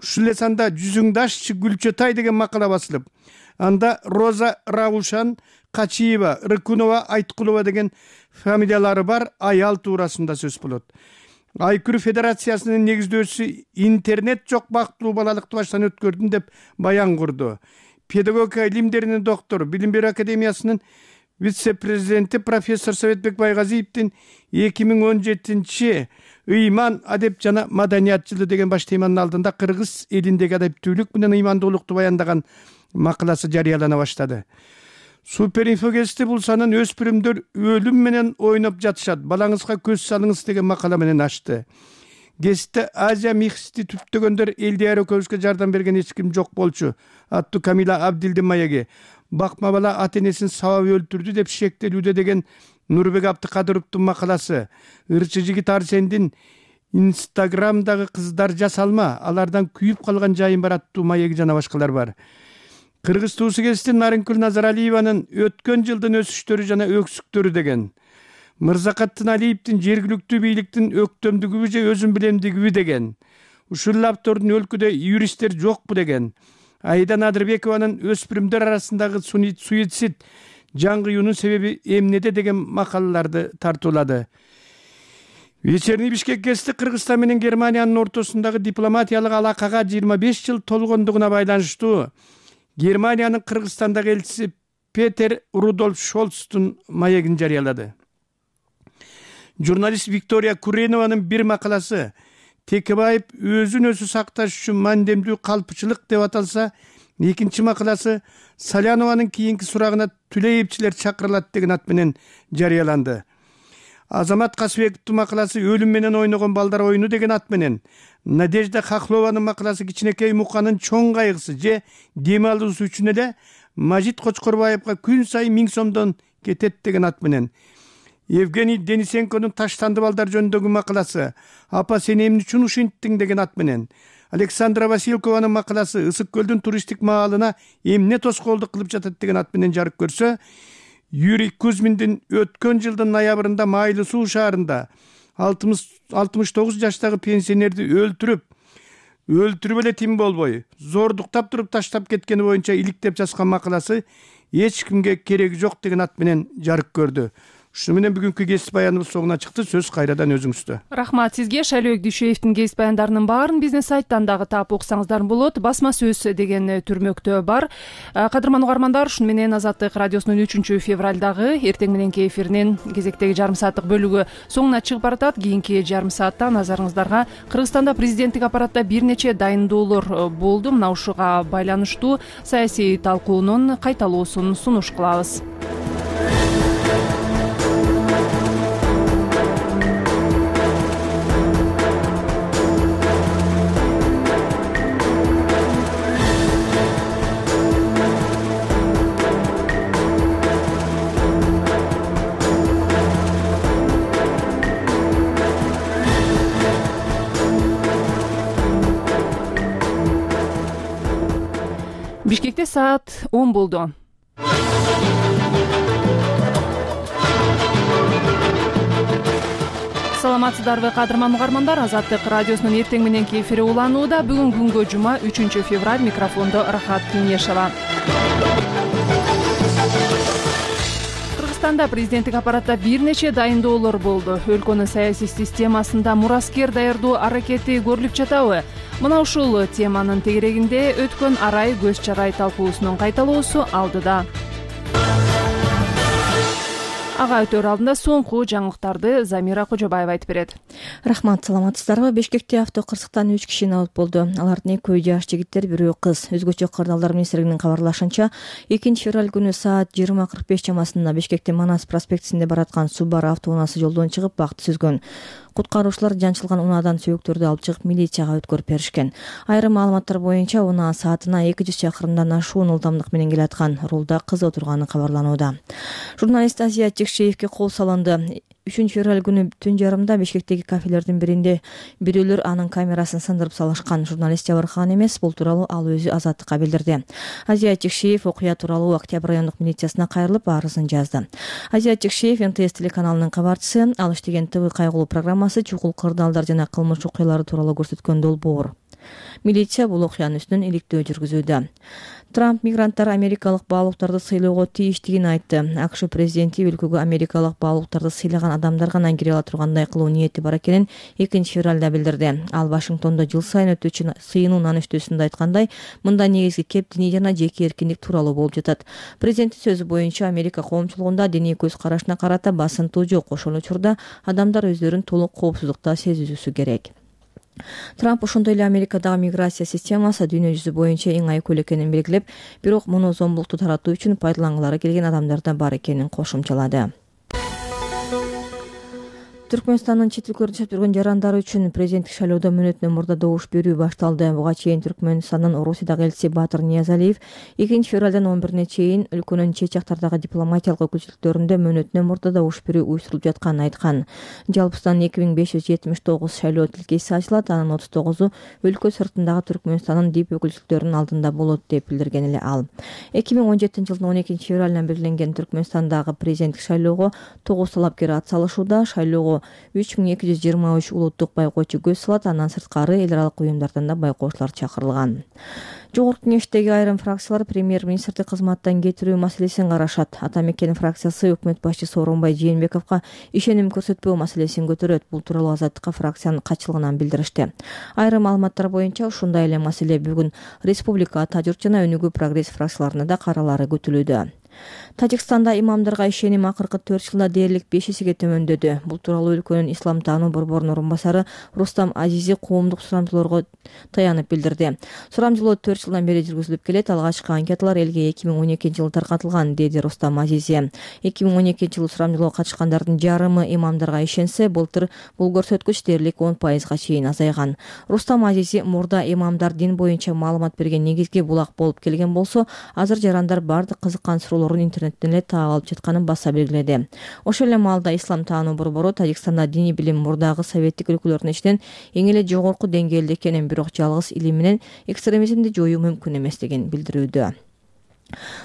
Ушул эле санда Жүзүңдашчы Гүлчөтай деген макала басылып, анда Роза Раушан, Качиева, Рыкунова, Айткулова деген фамилиялары бар аял туурасында сөз болот. Айкүр Федерациясынын негиздөөчүсү интернет жок бактылуу балалыкты баштан өткөрдүм деп баян курду. Педагогика илимдеринин доктору, Билим берүү академиясынын вице-президенти профессор Советбек Байгазиевдин 2017 ыйман, адеп жана маданият жылы деген баш теманын алдында кыргыз элиндеги адептүүлүк менен ыймандуулукту баяндаган макаласы жарыялана баштады. Суперинфогести бул санын өспүрүмдөр өлүм менен ойноп жатышат, балаңызга көз салыңыз деген макала менен ачты. Гезитте Азия михсти түптөгөндөр Элдияр экөөбүзгө жардам берген эч ким жок болчу аттуу Камила Абдилдин маеги. Бакма бала ата-энесин сабап өлтүрдү деп шектелүүдө деген Нурбек Абдыкадыровдун макаласы. Ырчы жигит Арсендин Инстаграмдагы кыздар жасалма, алардан күйүп калган жайым бар аттуу маеги жана башкалар бар. Кыргыз туусу кесиптин Нарынкүл Назаралиеванын өткөн жылдын өсүштөрү жана өксүктөрү деген. Мырзакаттын Алиевдин жергиликтүү бийликтин өктөмдүгүбү же өзүн билемдигиби деген. Ушул автордун өлкөдө юристтер жокпу деген. Айда Надырбекованын өспүрүмдөр арасындагы суицид жаңгыюунун себеби эмнеде деген макалаларды тартуулады. Вечерний Бишкек гезити Кыргызстан менен Германиянын ортосундагы дипломатиялык алакага 25 жыл толгондугуна байланыштуу Германиянын Кыргызстандагы элчиси Петер Рудольф Шолцтун маегин жарыялады. Журналист Виктория Куренованын бир макаласы Текебаев өзүн өзү сакташ үчүн мандемдүү калпчылык деп аталса, экинчи макаласы Салянованын кийинки сурагына Түлеевчилер чакырылат деген ат менен жарыяланды. Азамат Касыбековдун макаласы өлүм менен ойногон балдар оюну деген ат менен, Надежда Хохлованын макаласы кичинекей Муканын чоң кайгысы же дем алуусу үчүн эле Мажит Кочкорбаевга күн сайын 1000 сомдон кетет деген ат менен, Евгений Денисенконун таштанды балдар жөнүндөгү макаласы Апа сен эмне үчүн ушинттиң деген ат менен, Александра Василкованын макаласы Ысык көлдүн туристтик маалына эмне тоскоолдук кылып жатат деген ат менен жарык көрсө, Юрий Кузьминдин өткөн жылдын ноябрында Майлы Суу шаарында 69 жаштагы пенсионерди өлтүрүп эле тим болбой, зордуктап туруп таштап кеткени боюнча иликтеп жазган макаласы эч кимге кереги жок деген ат менен жарык көрдү. Ушуну менен бүгүнкү кесип баяныбыз соңуна чыкты. Сөз кайрадан өзүңүздө. Рахмат сизге. Шайлообек Дүйшөевдин кесип баяндарынын баарын биздин сайттан дагы таап окусаңыздар болот. Басма сөз деген түрмөктө бар. Кадырман угармандар, ушуну менен Азаттык радиосунун 3 февралдагы эртең мененки эфиринин кезектеги жарым сааттык бөлүгү соңуна чыгып баратат. Кийинки жарым саатта назарыңыздарга Кыргызстанда президенттик аппаратта бир нече дайындоолор болду. Мына ушуга байланыштуу саясий талкуунун кайталоосун сунуш кылабыз. Бишкекте саат 10 болду. Саламатсыздарбы кадырман угармандар, Азаттык радиосунун эртең мененки эфири уланууда. Бүгүн күнгө жума 3 февраль, микрофондо Рахат Кеңешова. Кыргызстанда президенттик аппаратта бир нече дайындоолор болду. Өлкөнүн саясий системасында мураскер даярдоо аракети көрүлүп жатабы? Мына ушул теманын тегерегинде өткөн арай көз чарай талкуусунун кайталоосу алдыда. Ага өтөр алдында соңку жаңылыктарды Замира Кожобаева айтып берет. Рахмат, саламатсыздарбы? Бишкекте авто кырсыктан 3 киши абат болду. Алардын экөө жаш жигиттер, бирөө кыз. Өзгөчө кырдаалдар министрлигинин кабарлашынча, 2 февраль күнү саат 20:45 чамасында Бишкектин Манас проспектисинде бараткан Subaru автоунаасы жолдон чыгып бакты сүзгөн. Куткаруучулар жанчылган унаадан сөөктөрдү алып чыгып милицияга өткөрүп беришкен. Айрым маалыматтар боюнча унаа саатына 200 чакырымдан ашуун ылдамдык менен келаткан. Рулда кыз отурганы кабарланууда. Журналист Азия Чекшеевге кол салынды. 3 февраль күнү түн жарымда Бишкектеги кафелердин биринде бирөөлөр анын камерасын сындырып салышкан. Журналист жабыркаган эмес, бул тууралуу ал өзү Азаттыкка билдирди. Азия Чекшеев окуя тууралуу Октябрь райондук милициясына кайрылып арызын жазды. Азия Чекшеев НТС телеканалынын кабарчысы. Ал иштеген ТВ кайгылуу программасы чукул кырдаалдар жана кылмыш окуялары тууралуу көрсөткөн долбоор. Милиция бул окуянын үстүнөн иликтөө жүргүзүүдө. Трамп мигранттар америкалык баалуулуктарды сыйлоого тийиштигин айтты. АКШ президенти өлкөгө америкалык баалуулуктарды сыйлаган адамдар гана кире ала тургандай кылуу ниети бар экенин 2 февралда билдирди. Ал Вашингтондо жыл сайын өтүүчү сыйынуу нанүштөөсүндө айткандай, мында негизги кеп диний жана жеке эркиндик тууралуу болуп жатат. Президенттин сөзү боюнча, Америка коомчулугунда диний көз карашына карата басынтуу жок. Ошол учурда адамдар өздөрүн толук коопсуздукта сезүүсү керек. Трамп ошондой эле Америкадагы миграция системасы дүйнө жүзү боюнча эң айкөл экенин белгилеп, бирок муну зомбулукту таратуу үчүн пайдалангылары келген адамдар да бар экенин кошумчалады. Түркмөнстандын чет өлкөлөрдө жашап жүргөн жарандары үчүн президенттик шайлоодо мөөнөтүнөн мурда добуш берүү башталды. Буга чейин Түркмөнстандын Орусиядагы элчиси Батыр Ниязалиев 2 февралдан 11-ине чейин өлкөнүн чет жактардагы дипломатиялык өкүлчүлүктөрүндө мөөнөтүнөн мурда добуш берүү уюштурулуп жатканын айткан. Жалпысынан 2579 шайлоо тилкеси ачылат, анын 39-у өлкө сыртындагы Түркмөнстандын дип өкүлчүлүктөрүнүн алдында болот деп билдирген эле ал. 2017 жылдын 12 февралынан белгиленген Түркмөнстандагы президенттик шайлоого 9 талапкер ат салышууда. Шайлоого 3223 улуттук байкоочу көз салат, андан сырткары эл аралык уюмдардан да байкоочулар чакырылган. Жогорку кеңештеги айрым фракциялар премьер-министрди кызматтан кетирүү маселесин карашат. Ата Мекен фракциясы өкмөт башчысы Сооронбай Жээнбековго ишеним көрсөтпөө маселесин көтөрөт. Бул тууралуу Азаттыкка фракциянын катчылыгынан билдиришти. Айрым маалыматтар боюнча ушундай эле маселе бүгүн Республика, Ата журт жана Өнүгүү прогресс фракцияларына да каралары күтүлүүдө. Тажикстанда имамдарга ишеним акыркы 4 жылда дээрлик 5 эсеге төмөндөдү. Бул тууралуу өлкөнүн ислам таануу борборунун орун басары Рустам Азизи коомдук сурамжылоого таянып билдирди. Сурамжылоо 4 жылдан бери жүргүзүлүп келет. Алгачкы анкеталар элге 2012 жылы таркатылган, деди Рустам Азизи. 2012 жылы сурамжылоого катышкандардын жарымы имамдарга ишенсе, былтыр бул көрсөткүч дээрлик 10%га чейин азайган. Рустам Азизи мурда имамдар дин боюнча маалымат берген негизги булак болуп келген болсо, азыр жарандар бардык кызыккан суроолорун интернеттен эле таап алып жатканын баса белгиледи. Ошол эле маалда ислам таануу борбору Тажикстанда диний билим мурдагы советтик өлкөлөрдүн ичинен эң эле жогорку деңгээлде экенин, бирок жалгыз илим менен экстремизмди жоюу мүмкүн эместигин билдирүүдө.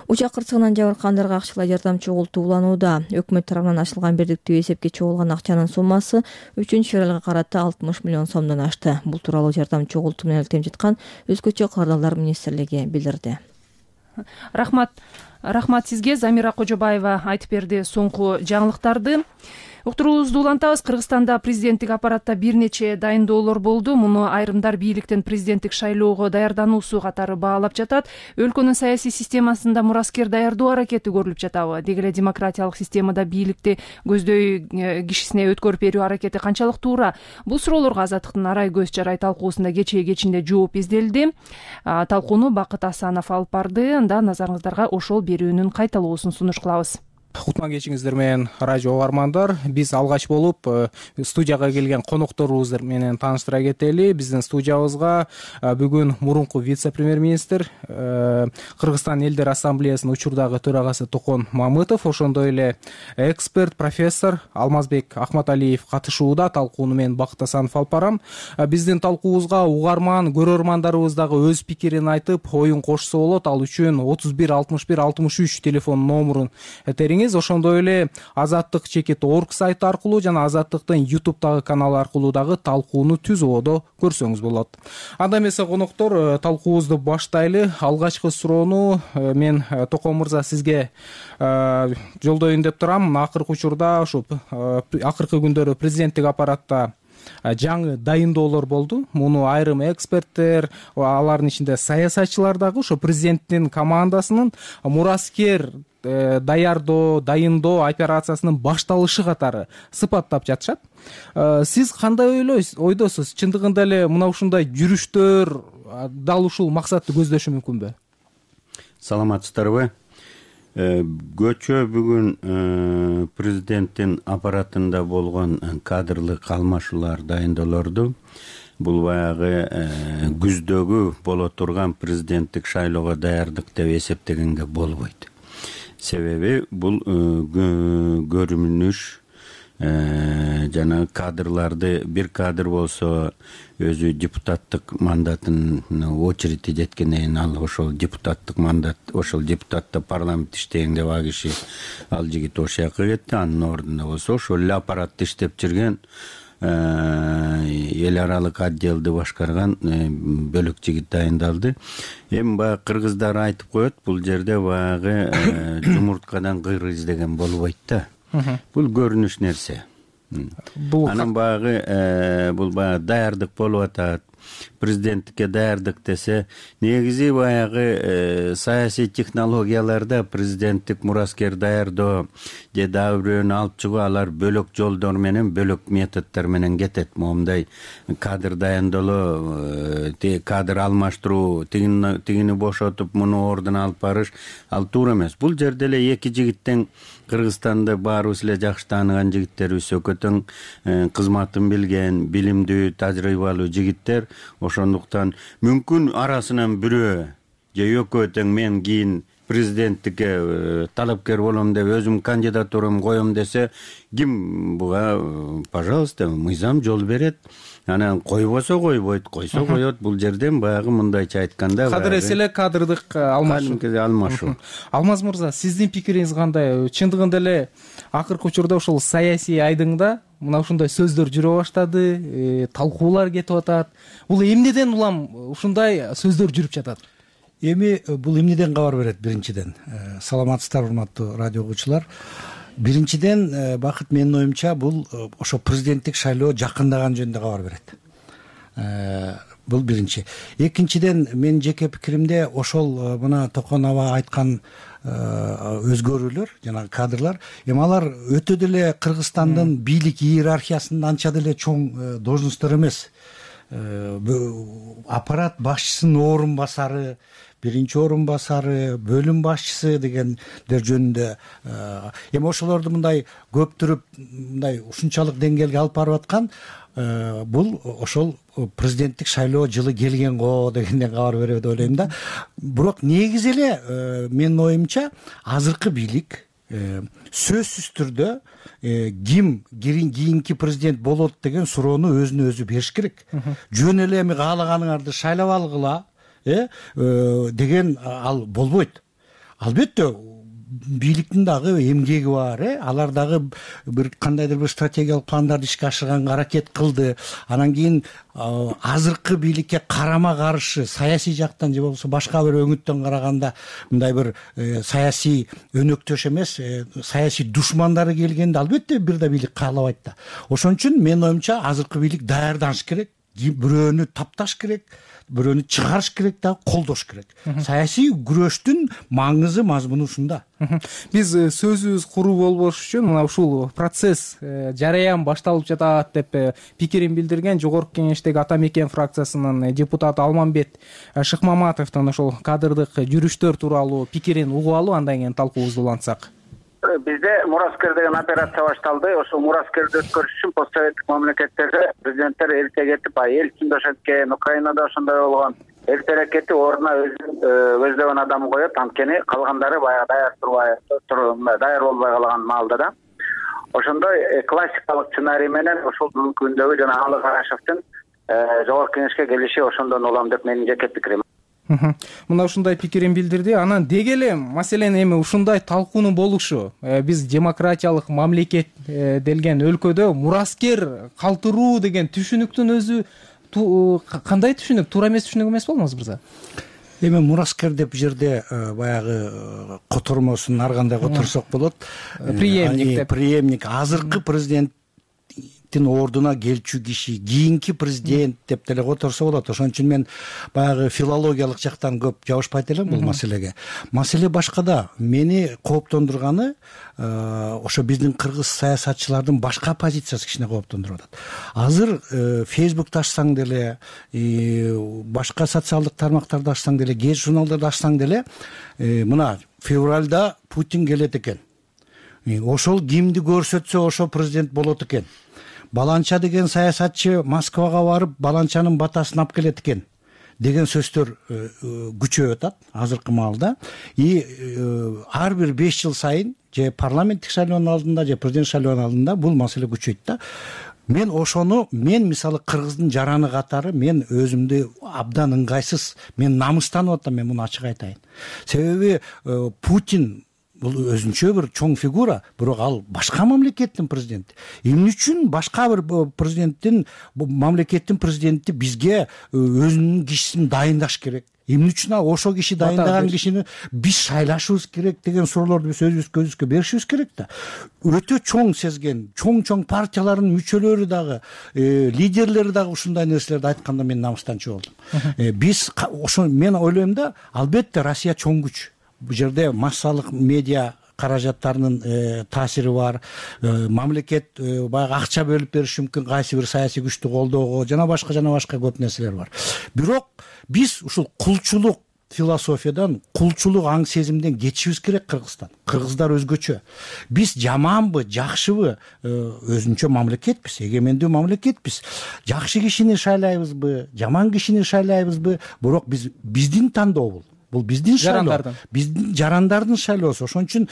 Учак кырсыгынан жабыркагандарга акчалай жардам чогултуу уланууда. Өкмөт тарабынан ачылган бирдиктүү эсепке чогулган акчанын суммасы 3 февралга карата 60 миллион сомдон ашты. Бул тууралуу жардам чогултуу менен иликтенип жаткан Өзгөчө кырдаалдар министрлиги билдирди. Рахмат. Рахмат сизге. Замира Кожобаева айтып берди соңку жаңылыктарды. Уктуруубузду улантабыз. Кыргызстанда президенттик аппаратта бир нече дайындоолор болду. Муну айрымдар бийликтен президенттик шайлоого даярдануусу катары баалап жатат. Өлкөнүн саясий системасында мураскер даярдоо аракети көрүлүп жатабы? Деги эле демократиялык системада бийликти көздөй кишисине өткөрүп берүү аракети канчалык туура? Бул суроолорго Азаттыктын Арай көз жарай талкуусунда кечинде жооп изделди. Талкууну Бакыт Асанов алып барды. Анда назарыңыздарга ошол берүүнүн кайталоосун сунуш кылабыз. Кутман кечиңиздер менен радио угармандар. Биз алгач болуп студияга келген конокторубуз менен тааныштыра кетели. Биздин студиябызга бүгүн мурунку вице-премьер-министр, Кыргызстан элдер ассамблеясынын учурдагы төрагасы Токон Мамытов, ошондой эле эксперт, профессор Алмазбек Акматалиев катышууда. Талкууну мен Бакыт Асанов алып барам. Биздин талкуубузга угарман, көрөрмандарыбыз дагы өз пикирин айтып, оюн кошсо болот. Ал үчүн 31 61 63 телефон номерун териңиз. Ошондой эле azattik.org сайты аркылуу жана Азаттыктын YouTube'дагы каналы аркылуу дагы талкууну түз ободо көрсөңүз болот. Анда эмесе коноктор, талкуубузду баштайлы. Алгачкы суроону мен Токон мырза сизге жолдоюн деп турам. Акыркы учурда ушу акыркы күндөрү президенттик аппаратта жаңы дайындоолор болду. Муну айрым эксперттер, алардын ичинде саясатчылар дагы ошо президенттин командасынын мураскер дайындоо операциясынын башталышы катары сыпаттап жатышат. Сиз кандай ойдосуз? Чындыгында эле мына ушундай жүрүштөр дал ушул максатты көздөшү мүмкүнбү? Саламатсыздарбы? Көчө бүгүн президенттин аппаратында болгон кадрлык алмашуулар, дайындоолорду бул баягы күздөгү боло турган президенттик шайлоого даярдык деп эсептегенге болбойт. Себеби бул көрүнүш жана кадрларды, бир кадр болсо өзү депутаттык мандатын очереди жеткенден кийин ал ошол депутаттык мандат, ошол депутатта парламент иштейин деп ал киши, ал жигит ошол жака кетти. Анын ордуна болсо ошол эле аппаратты иштеп жүргөн эл аралык отделди башкарган бөлөк жигит дайындалды. Эми баягы кыргыздар айтып коет, бул жерде баягы жумурткадан кыр издеген болбойт да. Бул көрүнүш нерсе. Анан баягы бул баягы даярдык болуп атат. Президенттикке даярдык десе, негизи баягы саясий технологияларда президенттик мураскер даярдоо же дагы бирөөнү алып чыгуу, алар бөлөк жолдор менен, бөлөк методдор менен кетет. Момундай кадр дайындоолоо, кадр алмаштыруу, тигини бошотуп муну ордуна алып барыш, ал туура эмес. Бул жерде эле эки жигиттен, Кыргызстанды баарыбыз эле жакшы тааныган жигиттерибиз, өкөтөң кызматын билген, билимдүү, тажрыйбалуу жигиттер. Ошондуктан мүмкүн арасынан бирөө же экөө тең мен кийин президенттикке талапкер болом деп өзүм кандидатурамды коем десе, ким буга, пожалуйста, мыйзам жол берет. Анан койбосо койбойт, койсо коет. Бул жерден баягы мындайча айтканда кадыр эселе кадрдык алмашуу. Алмаз мырза, сиздин пикириңиз кандай? Чындыгында эле акыркы учурда ушул саясий айдыңда мына ушундай сөздөр жүрө баштады, талкуулар кетип атат. Бул эмнеден улам ушундай сөздөр жүрүп жатат? Эми бул эмнеден кабар берет? Биринчиден, саламатсыздар урматтуу радио угуучулар. Биринчиден, Бакыт, менин оюмча бул ошо президенттик шайлоо жакындаган жөнүндө кабар берет. Бул биринчи. Экинчиден, менин жеке пикиримде ошол мына Токон аба айткан өзгөрүүлөр жана кадрлар, эми алар өтө деле Кыргызстандын бийлик иерархиясынын анча деле чоң должносттор эмес. Аппарат башчысынын орун басары, биринчи орун басары, бөлүм башчысы дегендер жөнүндө эми ошолорду мындай көптүрүп, мындай ушунчалык деңгээлге алып барып аткан бул ошол президенттик шайлоо жылы келген го дегенден кабар берет деп ойлойм да. Бирок негизи эле менин оюмча азыркы бийлик сөзсүз түрдө ким кийинки президент болот деген суроону өзүнө өзү бериш керек. Жөн эле эми каалаганыңарды шайлап алгыла деген ал болбойт. Албетте бийликтин дагы эмгеги бар, алар дагы бир кандайдыр бир стратегиялык пландарды ишке ашырганга аракет кылды. Анан кийин азыркы бийликке карама каршы саясий жактан же болбосо башка бир өңүттөн караганда мындай бир саясий өнөктөш эмес, саясий душмандары келгенде албетте бир да бийлик каалабайт да. Ошон үчүн менин оюмча азыркы бийлик даярданыш керек, бирөөнү тапташ керек, бирөөнү чыгарыш керек дагы колдош керек. Саясий күрөштүн маңызы, мазмуну ушунда. Биз сөзүбүз куру болбош үчүн мына ушул процесс, жараян башталып жатат деп пикирин билдирген Жогорку Кеңештеги Ата Мекен фракциясынын депутаты Алмамбет Шыкмаматовдун ошол кадрдык жүрүштөр тууралуу пикирин угуп алып, андан кийин талкуубузду улантсак. Бизде Мураскер деген операция башталды. Ошол Мураскерди өткөрүш үчүн постсоветтик мамлекеттерде президенттер эрте кетип, Ельцин өткен, Украинада ошондой болгон. Эртерээк кетип, ордуна өздөбөн адам коет, анткени калгандары баягы даяр болбой калган маалда да. Ошондой классикалык сценарий менен ошол бүгүнкү күндөгү жана Алы Карашевдин Жогорку Кеңешке келиши ошондон улам деп менин жеке пикирим. Мына ушундай пикирин билдирди. Анан деги эле маселен эми ушундай талкуунун болушу, биз демократиялык мамлекет делген өлкөдө мураскер калтыруу деген түшүнүктүн өзү кандай түшүнүк? Туура эмес түшүнүк эмес болмосу мырза? Эми мураскер деп жерде баягы котормосун ар кандай которсок болот. Преемник азыркы президент ордуна келчү киши, кийинки президент деп деле которсо болот. Ошон үчүн мен баягы филологиялык жактан көп жабышпайт элем бул маселеге. Маселе башкада. Мени кооптондурганы ошо биздин кыргыз саясатчылардын башка позициясы кичине кооптондуруп атат. Азыр Facebook ачсаң деле, башка социалдык тармактарды ачсаң деле, гез журналдарды ачсаң деле, мына февралда Путин келет экен. Ошол кимди көрсөтсө ошо президент болот экен. Баланча деген саясатчы Москвага барып, Баланчанын батасын алып келет экен деген сөздөр күчөп атат азыркы маалда. Ар бир 5 жыл сайын же парламенттик шайлоонун алдында, же президент шайлоонун алдында бул маселе күчөйт да. Мен мисалы кыргыздын жараны катары мен өзүмдү абдан ыңгайсыз, мен намыстанып атам, мен муну ачык айтайын. Себеби Путин бул өзүнчө бир чоң фигура, бирок ал башка мамлекеттин президенти. Эмне үчүн башка бир мамлекеттин президенти бизге өзүнүн кишисин дайындаш керек? Эмне үчүн ошо киши дайындаган кишини биз шайлашыбыз керек деген суроолорду биз өзүбүзгө беришибиз керек да. Өтө чоң сезген, чоң партиялардын мүчөлөрү дагы, лидерлери дагы ушундай нерселерди айтканда мен намыстанчу болдум. Биз ошо мен ойлойм да, албетте Россия чоң күч. Бул жерде массалык медиа каражаттарынын таасири бар, мамлекет баягы акча бөлүп бериши мүмкүн кайсы бир саясий күчтү колдоого, жана башка көп нерселер бар. Бирок биз ушул кулчулук философиядан, кулчулук аң сезимден кетишибиз керек. Кыргыздар өзгөчө. Биз жаманбы, жакшыбы, өзүнчө мамлекетпиз, эгемендүү мамлекетпиз. Жакшы кишини шайлайбызбы, жаман кишини шайлайбызбы, бирок биздин тандоо бул. Бул биздин шайлоо, биздин жарандардын шайлоосу. Ошон үчүн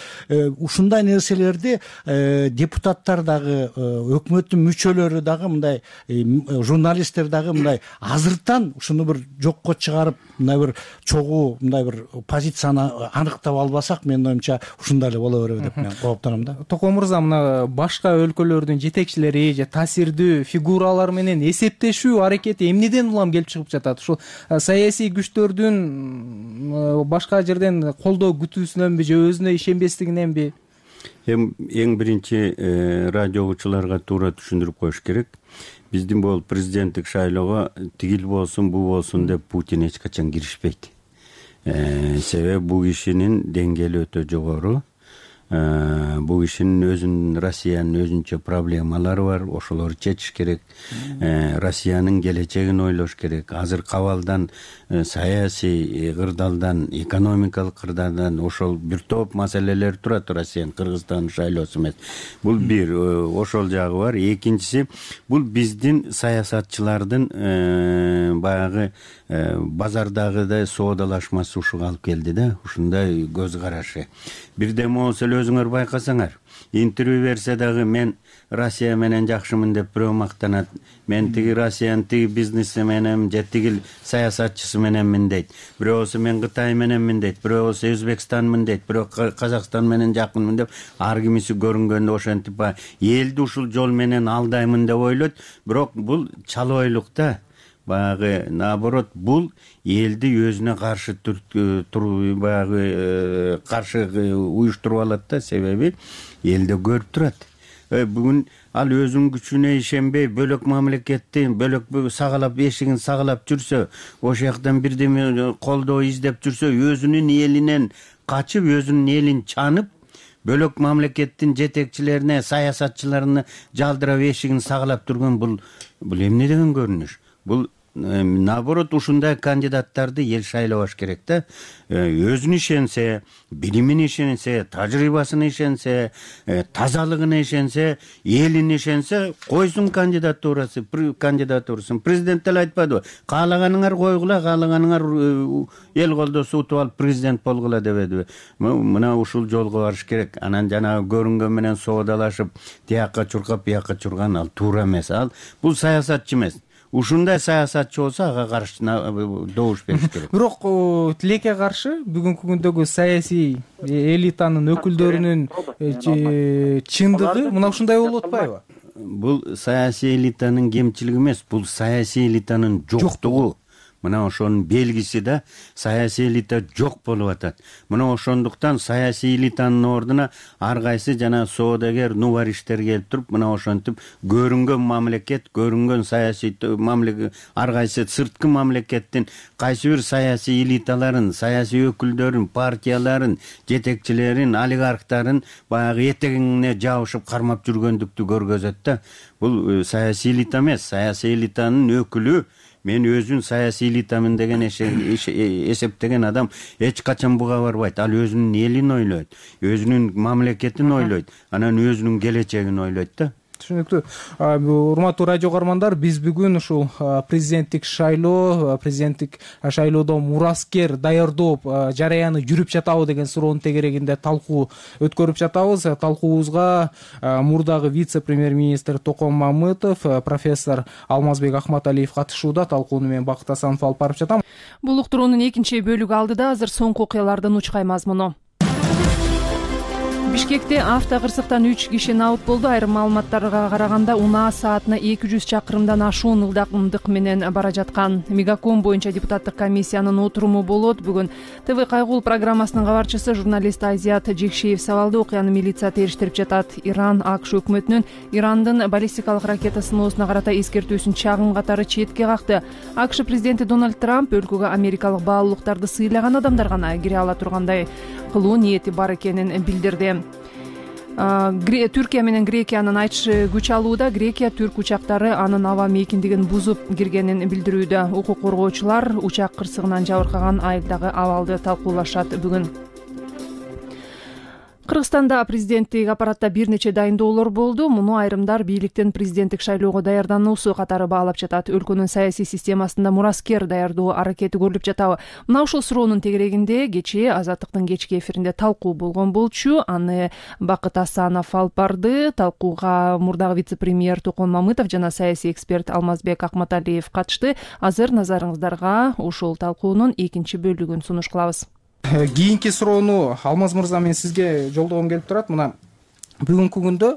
ушундай нерселерди депутаттар дагы, өкмөттүн мүчөлөрү дагы, мындай журналисттер дагы мындай азыртан ушуну бир жокко чыгарып, мындай бир чогуу, мындай бир позицияны аныктап албасак, менин оюмча ушундай эле боло береби деп мен кооптоном да. Токо мырза, мына башка өлкөлөрдүн жетекчилери же таасирдүү фигуралар менен эсептешүү аракети эмнеден улам келип чыгып жатат? Ушул саясий күчтөрдүн башка жерден колдоо күтүүсүнөнбү же өзүнө ишенбестигиненби? Эң биринчи радио угуучуларга туура түшүндүрүп коюш керек. Биздин бул президенттик шайлоого тигил болсун, бу болсун деп Путин эч качан киришпейт. Себеби бул кишинин деңгээли өтө жогору. Бул кишинин өзүнүн, Россиянын өзүнчө проблемалары бар, ошолорду чечиш керек. Россиянын келечегин ойлош керек. Азыркы абалдан, саясий кырдаалдан, экономикалык кырдаалдан ошол бир топ маселелер турат. Россиянын, Кыргызстандын шайлоосу эмес. Бул бир, ошол жагы бар. Экинчиси, бул биздин саясатчылардын баягы базардагыдай соодалашмасы ушуга алып келди да, ушундай көз карашы. Бирден болсо эле өзүңөр байкасаңар, интервью берсе дагы мен Россия менен жакшымын деп бирөө мактанат, мен тиги Россиянын тиги бизнеси менен же тиги саясатчысы мененмин дейт, бирөөсү мен Кытай мененмин дейт, бирөөсү Өзбекстанмын дейт, бирөө Казакстан менен жакынмын деп, ар кимиси көрүнгөндө ошентип элди ушул жол менен алдаймын деп ойлойт. Бирок бул чалбойлук да. Баягы наоборот, бул элди өзүнө каршы баягы каршы уюштуруп алат да, себеби элде көрүп турат. Бүгүн ал өзүнүн күчүнө ишенбей, бөлөк мамлекетти бөлөк сагалап, эшигин сагалап жүрсө, ошол жактан бирдеме колдоо издеп жүрсө, өзүнүн элинен качып, өзүнүн элин чанып, бөлөк мамлекеттин жетекчилерине, саясатчыларына жалдырап, эшигин сагалап турган бул эмне деген көрүнүш? Бул наоборот, ушундай кандидаттарды эл шайлабаш керек да. Өзүнө ишенсе, билимине ишенсе, тажрыйбасына ишенсе, тазалыгына ишенсе, элине ишенсе, койсун кандидатурасын. Президент деле айтпадыбы? Каалаганыңар койгула, каалаганыңар эл колдосо утуп алып президент болгула дебедиби? Мына ушул жолго барыш керек. Анан жанагы көрүнгөн менен соодалашып, тиякка чуркап, биякка чурган ал туура эмес. Ал бул саясатчы эмес. Ушундай саясатчы болсо, ага каршы добуш бериш керек. Бирок тилекке каршы бүгүнкү күндөгү саясий элитанын өкүлдөрүнүн чындыгы мына ушундай болуп атпайбы? Бул саясий элитанын кемчилиги эмес, бул саясий элитанын жоктугу. Мына ошонун белгиси да, саясий элита жок болуп атат. Мына ошондуктан саясий элитанын ордуна ар кайсы жана соодагер, нубариштер келип туруп, мына ошентип көрүнгөн мамлекет, көрүнгөн саясий мамлекет, ар кайсы сырткы мамлекеттин кайсы бир саясий элиталарын, саясий өкүлдөрүн, партияларын, жетекчилерин, олигархтарын баягы этегине жабышып кармап жүргөндүктү көргөзөт да. Бул саясий элита эмес, саясий элитанын өкүлү. Мен өзүн саясий элитамын деген эсептеген адам эч качан буга барбайт. Ал өзүнүн элин ойлойт, өзүнүн мамлекетин ойлойт, анан өзүнүн келечегин ойлойт да. Түшүнүктүү. Урматтуу радио каармандар, биз бүгүн ушул президенттик шайлоодо мураскер даярдоо жараяны жүрүп жатабы деген суроонун тегерегинде талкуу өткөрүп жатабыз. Талкуубузга мурдагы вице-премьер-министр Токон Мамытов, профессор Алмазбек Ахматалиев катышууда. Талкууну мен Бакыт Асанов алып барып жатам. Бул уктуруунун экинчи бөлүгү алдыда азыр соңку окуялардын учкай мазмуну. Бишкекте автокырсыктан 3 киши набыт болду. Айрым маалыматтарга караганда унаа саатына 200 чакырымдан ашуун ылдамдык менен бара жаткан. Мегаком боюнча депутаттык комиссиянын отуруму болот. Бүгүн ТВ Кайгул программасынын кабарчысы журналист Азият Жекшеев сабалды. Окуяны милиция териштирип жатат. Иран АКШ өкмөтүнүн Ирандын баллистикалык ракета сыноосуна карата эскертүүсүн чагым катары четке какты. АКШ президенти Дональд Трамп өлкөгө америкалык баалуулуктарды сыйлаган адамдар гана кире ала тургандай кылуу ниети бар экенин билдирди. Түркия менен Грекиянын айтышы күч алууда. Грекия түрк учактары анын аба мейкиндигин бузуп киргенин билдирүүдө. Укук коргоочулар учак кырсыгынан жабыркаган айылдагы абалды талкуулашат бүгүн. Кыргызстанда президенттик аппаратта бир нече дайындоолор болду. Муну айрымдар бийликтин президенттик шайлоого даярдануусу катары баалап жатат. Өлкөнүн саясий системасында мураскер даярдоо аракети көрүлүп жатабы? Мына ушул суроонун тегерегинде кечээ Азаттыктын кечки эфиринде талкуу болгон болчу. Аны Бакыт Асанов алып барды. Талкууга мурдагы вице-премьер Токон Мамытов жана саясий эксперт Алмазбек Ахматалиев катышты. Азыр назарыңыздарга ушул талкуунун экинчи бөлүгүн сунуш кылабыз. Кийинки суроону Алмаз мырза мен сизге жолдогом келип турат. Мына бүгүнкү күндө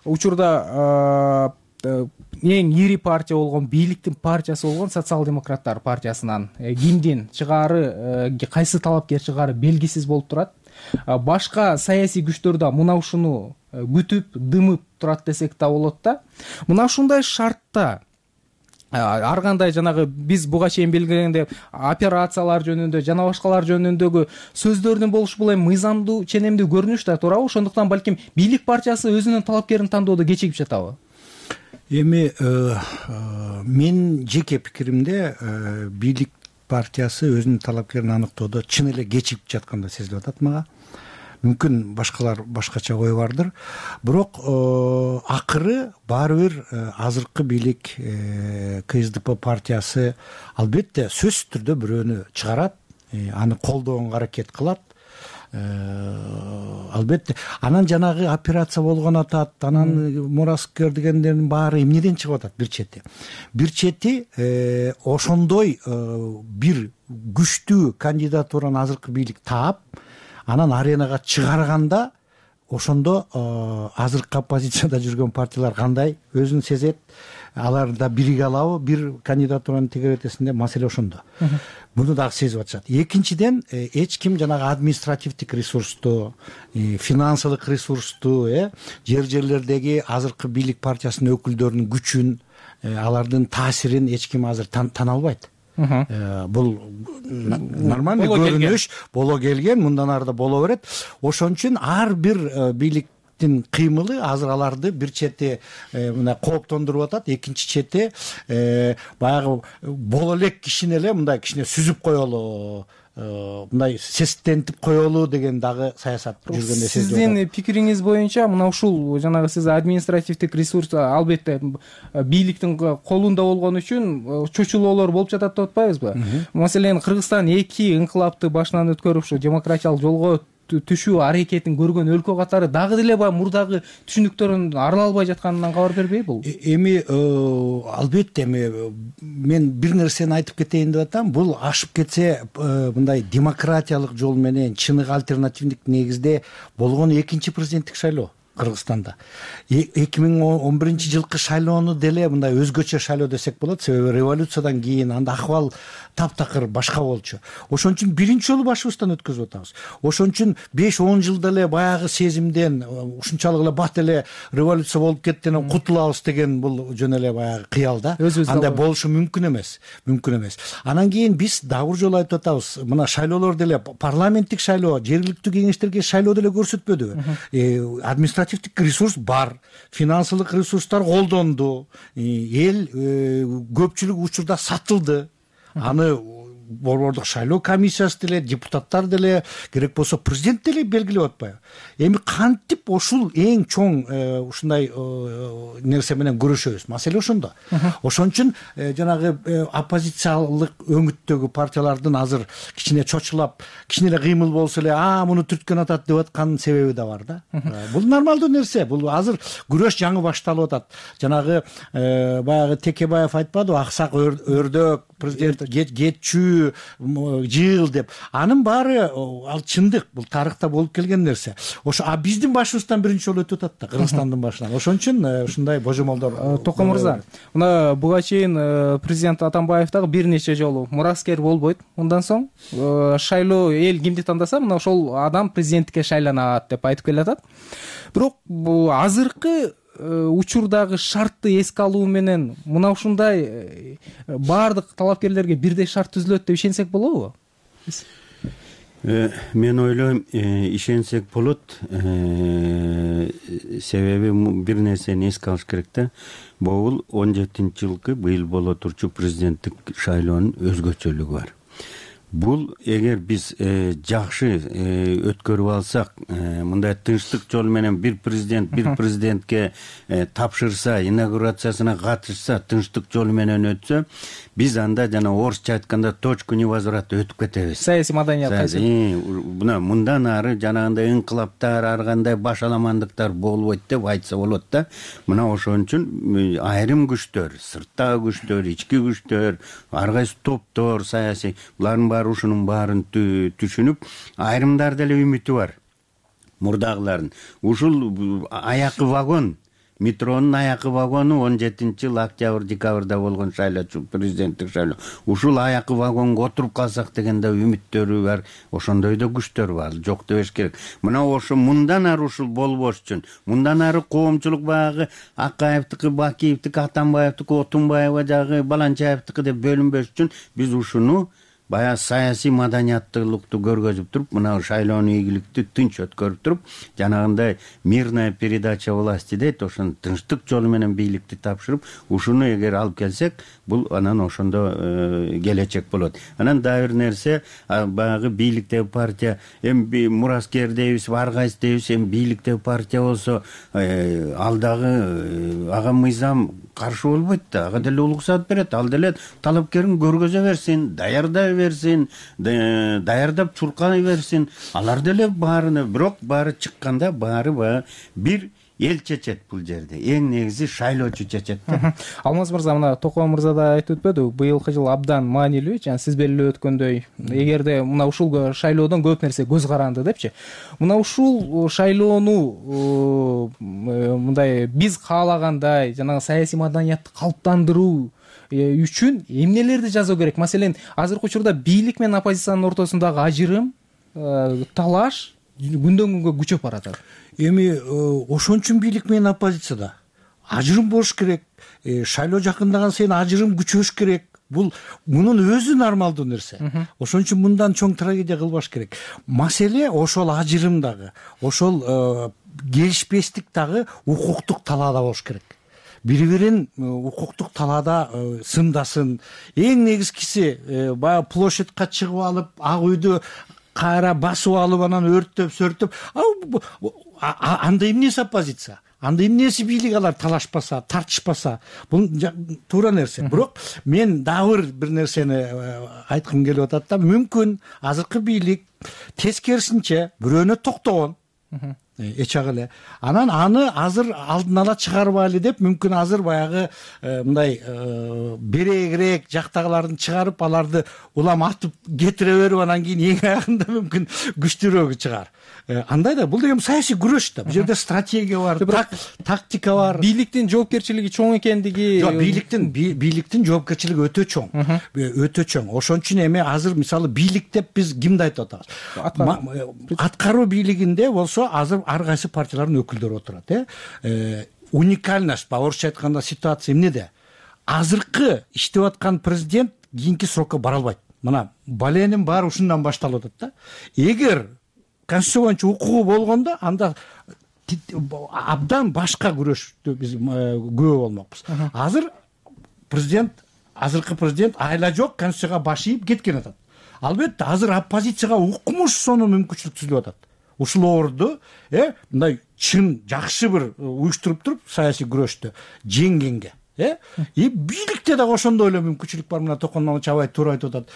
учурда эң ири партия болгон, бийликтин партиясы болгон социал-демократтар партиясынан кимдин чыгаары, кайсы талапкер чыгаары белгисиз болуп турат. Башка саясий күчтөр да мына ушуну күтүп, дымып турат десек да болот да. Мына ушундай шартта ар кандай жанагы биз буга чейин белгилегендей операциялар жөнүндө жана башкалар жөнүндөгү сөздөрдүн болушу бул эми мыйзамдуу, ченемдүү көрүнүш да туурабы? Ошондуктан балким бийлик партиясы өзүнүн талапкерин тандоодо кечигип жатабы? Эми мен жеке пикиримде бийлик партиясы өзүнүн талапкерин аныктоодо чын эле кечигип жаткандай сезилип атат мага. Мүмкүн башкалар башкача ой бардыр. Бирок акыры баары бир азыркы бийлик КСДП партиясы албетте сөзсүз түрдө бирөөнү чыгарат, аны колдоого аракет кылат. албетте анан жанагы операция болгон атат, анан мураскер дегендердин баары эмнеден чыгып атат? Бир чети ошондой бир күчтүү кандидатураны азыркы бийлик таап, анан аренага чыгарганда ошондо азыркы оппозицияда жүргөн партиялар кандай өзүн сезет, алар да бириге алабы бир кандидатураны тегеретесин деп маселе ошондо. Муну дагы сезип атышат. Экинчиден, эч ким жанагы административдик ресурсту, финансылык ресурсту, жерлердеги азыркы бийлик партиясынын өкүлдөрүнүн күчүн, алардын таасирин эч ким азыр тана албайт. Бул нормальный көрүнүш боло келген, мындан ары да боло берет. Ошон үчүн ар бир бийликтин кыймылы азыр аларды бир чети мына кооптондуруп атат, экинчи чети баягы боло элек кишини эле мындай кичине сүзүп коелу, мындай сестентип коелу деген дагы саясат жүргөндөй сезилет. Сиздин пикириңиз боюнча мына ушул жанагы сиз административдик ресурс албетте бийликтин колунда болгон үчүн чочулоолор болуп жатат деп атпайбызбы? Маселен, Кыргызстан 2 инкылапты башынан өткөрүп ушу демократиялык жолго түшүү аракетин көргөн өлкө катары дагы деле баягы мурдагы түшүнүктөрүн арыла албай жатканынан кабар бербей бул? Эми албетте мен бир нерсени айтып кетейин деп атам. Бул ашып кетсе мындай демократиялык жол менен чыныгы альтернативдик негизде болгон экинчи президенттик шайлоо Кыргызстанда. 2011-жылкы шайлоону деле мындай өзгөчө шайлоо десек болот, себеби революциядан кийин анда акыбал таптакыр башка болчу. Ошон үчүн биринчи жолу башыбыздан өткөзүп атабыз. Ошон үчүн 5-10 жылда эле баягы сезимден ушунчалык эле бат эле революция болуп кеттен кутулабыз деген бул жөн эле баягы кыял да. Андай болушу мүмкүн эмес. Анан кийин биз дагы бир жолу айтып атабыз. Мына шайлоолор деле парламенттик шайлоо, жергиликтүү кеңештерге шайлоо деле көрсөтпөдүбү. Административдик ресурс бар, финансылык ресурстар колдонду, эл көпчүлүк учурда сатылды. Аны борбордук шайлоо комиссиясы деле, депутаттар деле, керек болсо президент деле белгилеп атпайбы? Эми кантип ушул эң чоң ушундай нерсе менен көрүшөбүз? Маселе ошондо. Ошон үчүн жанагы оппозициялык өңүттөгү партиялардын азыр кичине чочулап, кичине эле кыймыл болсо эле, муну түрткөн атат деп аткан себеби да бар да. Бул нормалдуу нерсе. Бул азыр күрөш жаңы башталып атат. Жанагы баягы Текебаев айтпадыбы, аксак өрдөк президент кетчү жыл деп. Анын баары ал чындык, бул тарыхта болуп келген нерсе. Ошо биздин башыбыздан биринчи жолу өтүп атат да, Кыргызстандын башынан. Ошон үчүн ушундай божомолдор. Токо мырза, мына буга чейин президент Атамбаев дагы бир нече жолу мураскер болбойт. Мындан соң шайлоо эл кимди тандаса, мына ошол адам президенттикке шайланат деп айтып келатат. Бирок азыркы учурдагы шартты эске алуу менен мына ушундай баардык талапкерлерге бирдей шарт түзүлөт деп ишенсек болобу? Мен ойлойм, ишенсек болот. Себеби бир нерсени эске алыш керек да. Бул 17-жылкы быйыл боло турчу президенттик шайлоонун өзгөчөлүгү бар. Бул эгер биз жакшы өткөрүп алсак, мындай тынчтык жол менен бир президентке тапшырса, инаугурациясына катышса, тынчтык жол менен өтсө, биз анда жана орусча айтканда точку невозврата өтүп кетебиз. Саясий маданият кайсы? Мындан ары жанагындай инкылаптар, ар кандай башаламандыктар болбойт деп айтса болот да. Мына ошон үчүн айрым күчтөр, сырттагы күчтөр, ички күчтөр, ар кайсы топтор, саясий, булардын баары ушунун баарын түшүнүп, айрымдар деле үмүтү бар. Мурдагылардын. Ушул аякы вагон, метронун аякы вагону 17-жыл октябрь-декабрда болгон шайлоо, президенттик шайлоо. Ушул аякы вагонго отуруп калсак деген да үмүттөрү бар. Ошондой да күчтөр бар. Жок дебеш керек. Мына ошо мындан ары ушул болбош үчүн, мындан ары коомчулук баягы Акаевдики, Бакиевдики, Атамбаевдики, Отунбаева жагы, Баланчаевдики деп бөлүнбөш үчүн биз ушуну баягы саясий маданияттуулукту көргөзүп туруп, мына шайлоону ийгиликтүү тынч өткөрүп туруп, жанагындай мирная передача власти дейт, ошону тынчтык жолу менен бийликти тапшырып, ушуну эгер алып келсек, бул анан ошондо келечек болот. Анан дагы бир нерсе, баягы бийликтеги партия, эми мураскер дейбиз, ар кайсы дейбиз, эми бийликтеги партия болсо, ал дагы ага мыйзам каршы болбойт да, ага деле уруксат берет, ал деле талапкерин көргөзө берсин, даярдай берсин, даярдап чуркай берсин, алар деле баарыны. Бирок баары чыкканда баары баягы бир эл чечет. Бул жерде эң негизи шайлоочу чечет да. Алмаз мырза, мына Токой мырза да айтып өтпөдү, быйылкы жыл абдан маанилүү, жана сиз белгилеп өткөндөй, эгерде мына ушул шайлоодон көп нерсе көз каранды депчи. Мына ушул шайлоону мындай биз каалагандай жанагы саясий маданиятты калыптандыруу үчүн эмнелерди жасоо керек? Маселен, азыркы учурда бийлик менен оппозициянын ортосундагы ажырым, талаш күндөн күнгө күчөп баратат. Эми ошон үчүн бийлик менен оппозицияда ажырым болуш керек. Шайлоо жакындаган сайын ажырым күчөш керек. Мунун өзү нормалдуу нерсе. Ошон үчүн мындан чоң трагедия кылбаш керек. Маселе ошол ажырымдагы, ошол келишпестик дагы укуктук талаада болуш керек. Бири-бирин укуктук талаада сындасын. Эң негизгиси баягы площадька чыгып алып, ак үйдү кайра басып алып, анан өрттөп, сөртөп, анда эмнеси оппозиция? Анда эмнеси бийлик? Алар талашпаса, тартышпаса, бул туура нерсе. Бирок мен дагы бир нерсени айткым келип атат да, мүмкүн азыркы бийлик тескерисинче бирөөнө токтогон, эчак эле. Анан аны азыр алдын ала чыгарбайлы деп, мүмкүн азыр баягы мындай берегирээк жактагыларын чыгарып, аларды улам атып кетире берип, анан кийин эң аягында мүмкүн күчтүүрөөгү чыгар. Андай да, бул деген саясий күрөш да. Бул жерде стратегия бар, тактика бар. Бийликтин жоопкерчилиги чоң экендиги. Жок, бийликтин жоопкерчилиги өтө чоң. Өтө чоң. Ошон үчүн эми азыр мисалы бийлик деп биз кимди айтып атабыз? Аткаруу бийлигинде болсо азыр ар кайсы партиялардын өкүлдөрү отурат. Уникальность, орусча айтканда ситуация эмнеде? Азыркы иштеп аткан президент кийинки срокко бара албайт. Мына баленин баары ушундан башталып атат да. Эгер конституция боюнча укугу болгондо, анда абдан башка күрөштү биз күбө болмокпуз. Азыр азыркы президент айла жок конституцияга баш ийип кеткен атат. Албетте азыр оппозицияга укмуш сонун мүмкүнчүлүк түзүлүп атат. Ушул орду мындай чын жакшы бир уюштуруп туруп саясий күрөштү жеңгенге. Бийликте дагы ошондой эле мүмкүнчүлүк бар. Мына Токон Чабай туура айтып атат.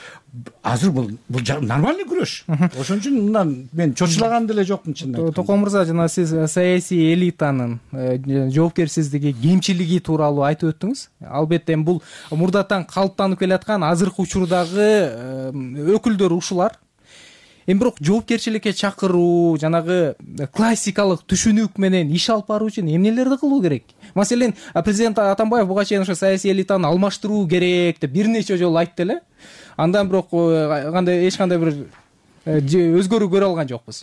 Азыр бул нормальный күрөш. Ошон үчүн мындан мен чочулаган деле жокмун чындап. Токон мырза, жана сиз саясий элитанын жоопкерсиздиги, кемчилиги тууралуу айтып өттүңүз. Албетте бул мурдатан калыптанып келаткан азыркы учурдагы өкүлдөр ушулар. Бирок жоопкерчиликке чакыруу, жанагы классикалык түшүнүк менен иш алып баруу үчүн эмнелерди кылуу керек? Маселен, президент Атамбаев буга чейин ошо саясий элитаны алмаштыруу керек деп бир нече жолу айтты эле. Андан бирок эч кандай бир өзгөрүү көрө алган жокпуз.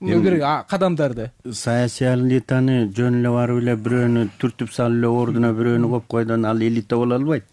Кадамдарды. Саясий элитаны жөн эле барып эле бирөөнү түртүп салып эле ордуна бирөөнү коюп койдон ал элита боло албайт.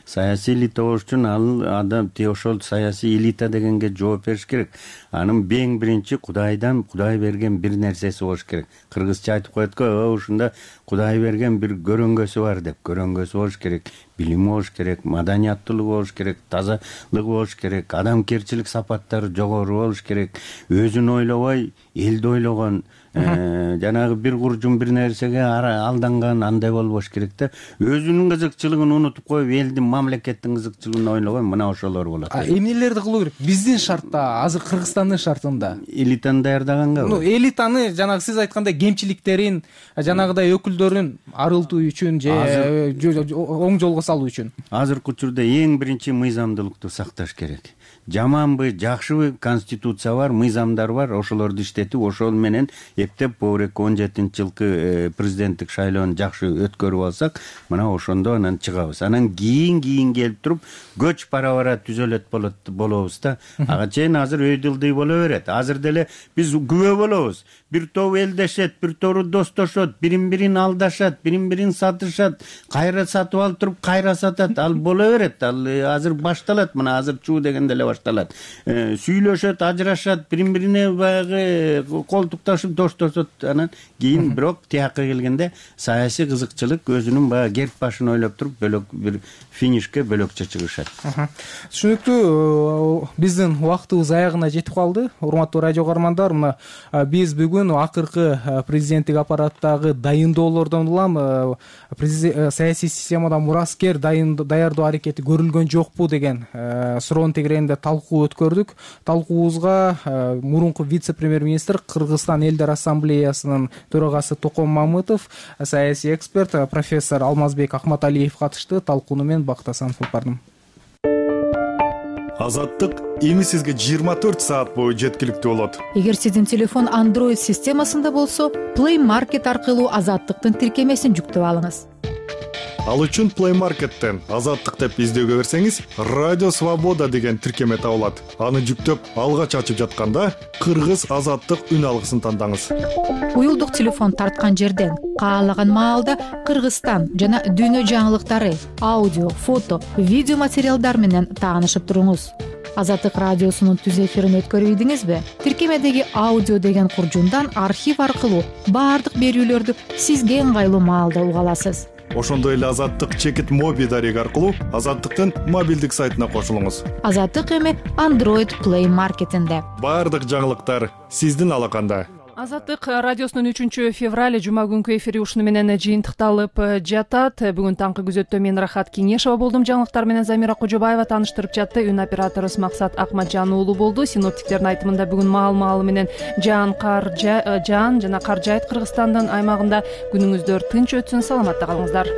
Саясий элита болуш үчүн ал адам ошол саясий элита дегенге жооп бериш керек. Анын эң биринчи Кудай берген бир нерсеси болуш керек. Кыргызча айтып коет го, ушунда Кудай берген бир көрөңгөсү бар деп. Көрөңгөсү болуш керек, билими болуш керек, маданияттуулугу болуш керек, тазалыгы болуш керек, адамгерчилик сапаттары жогору болуш керек, өзүн ойлобой элди ойлогон, жанагы бир куржун бир нерсеге алданган андай болбош керек да. Өзүнүн кызыкчылыгын унутуп коюп, элдин, мамлекеттин кызыкчылыгын ойлогон, мына ошолор болот. Эмнелерди кылуу керек? Биздин шартта, азыр Кыргызстандын шартында элитаны даярдаганга. Элитаны жанагы сиз айткандай кемчиликтерин, жанагыдай өкүлдөрүн арылтуу үчүн же оң жолго салуу үчүн. Азыркы учурда эң биринчи мыйзамдуулукту сакташ керек. Жаманбы, жакшыбы конституция бар, мыйзамдар бар, ошолорду иштетип, ошол менен эптеп боорек 17-жылкы президенттик шайлоону жакшы өткөрүп алсак, мына ошондо анан чыгабыз. Анан кийин келип туруп көч бара түзөлөт болобуз да. Ага чейин азыр өйдүлдүй боло берет. Азыр деле биз күбө болобуз. Бир топ элдешет, бир тору достошот, бирин алдашат, бирин сатышат, кайра сатып алып туруп кайра сатат. Ал боло берет. Ал азыр башталат. Мына азыр чуу деген деле бар. башталат. Сүйлөшөт, ажырашат, бири-бирине баягы колтукташып доштошот. Анан кийин бирок тияка келгенде саясий кызыкчылык өзүнүн баягы керт башын ойлоп туруп бөлөк бир финишке бөлөкчө чыгышат. Түшүнүктүү. Биздин убактыбыз аягына жетип калды. Урматтуу радио угармандар, мына биз бүгүн акыркы президенттик аппараттагы дайындоолордон улам саясий системада мураскер даярдоо аракети көрүлгөн жокпу деген суроонун тегерегинде талкуу өткөрдүк. Талкуубузга мурунку вице-премьер-министр, Кыргызстан элдер ассамблеясынын төрагасы Токон Мамытов, саясий эксперт профессор Алмазбек Акматалиев катышты. Талкууну мен Бактасан Сулпардым. Азаттык эми сизге 24 саат бою жеткиликтүү болот. Эгер сиздин телефон Android системасында болсо, Play Market аркылуу Азаттыктын тиркемесин жүктөп алыңыз. Ал үчүн Play Market'тен Азаттык деп издөөгө берсеңиз, Радио Свобода деген тиркеме табылат. Аны жүктөп, алгач ачып жатканда Кыргыз Азаттык үн алгысын тандаңыз. Уюлдук телефон тарткан жерден каалаган маалда Кыргызстан жана дүйнө жаңылыктары, аудио, фото, видео материалдар менен таанышып туруңуз. Азаттык радиосунун түз эфирин өткөрүп ийдиңизби? Тиркемедеги аудио деген куржундан архив аркылуу баардык берүүлөрдү сизге ыңгайлуу маалда уга аласыз. Ошондой эле Азаттык чекит моби дареги аркылуу Азаттыктын мобилдик сайтына кошулуңуз. Азаттык эми Android Play Market'инде. Баардык жаңылыктар сиздин алаканда. Азаттык радиосунун 3-февраль жума күнкү эфири ушуну менен жыйынтыкталып жатат. Бүгүн таңкы күзөттө мен Рахат Кеңешова болдум. Жаңылыктар менен Замира Кожобаева тааныштырып жатты. Үн операторубуз Максат Акматжан уулу болду. Синоптиктердин айтымында бүгүн маал менен жаан жана кар жаайт Кыргызстандын аймагында. Күнүңүздөр тынч өтсүн, саламатта калыңыздар.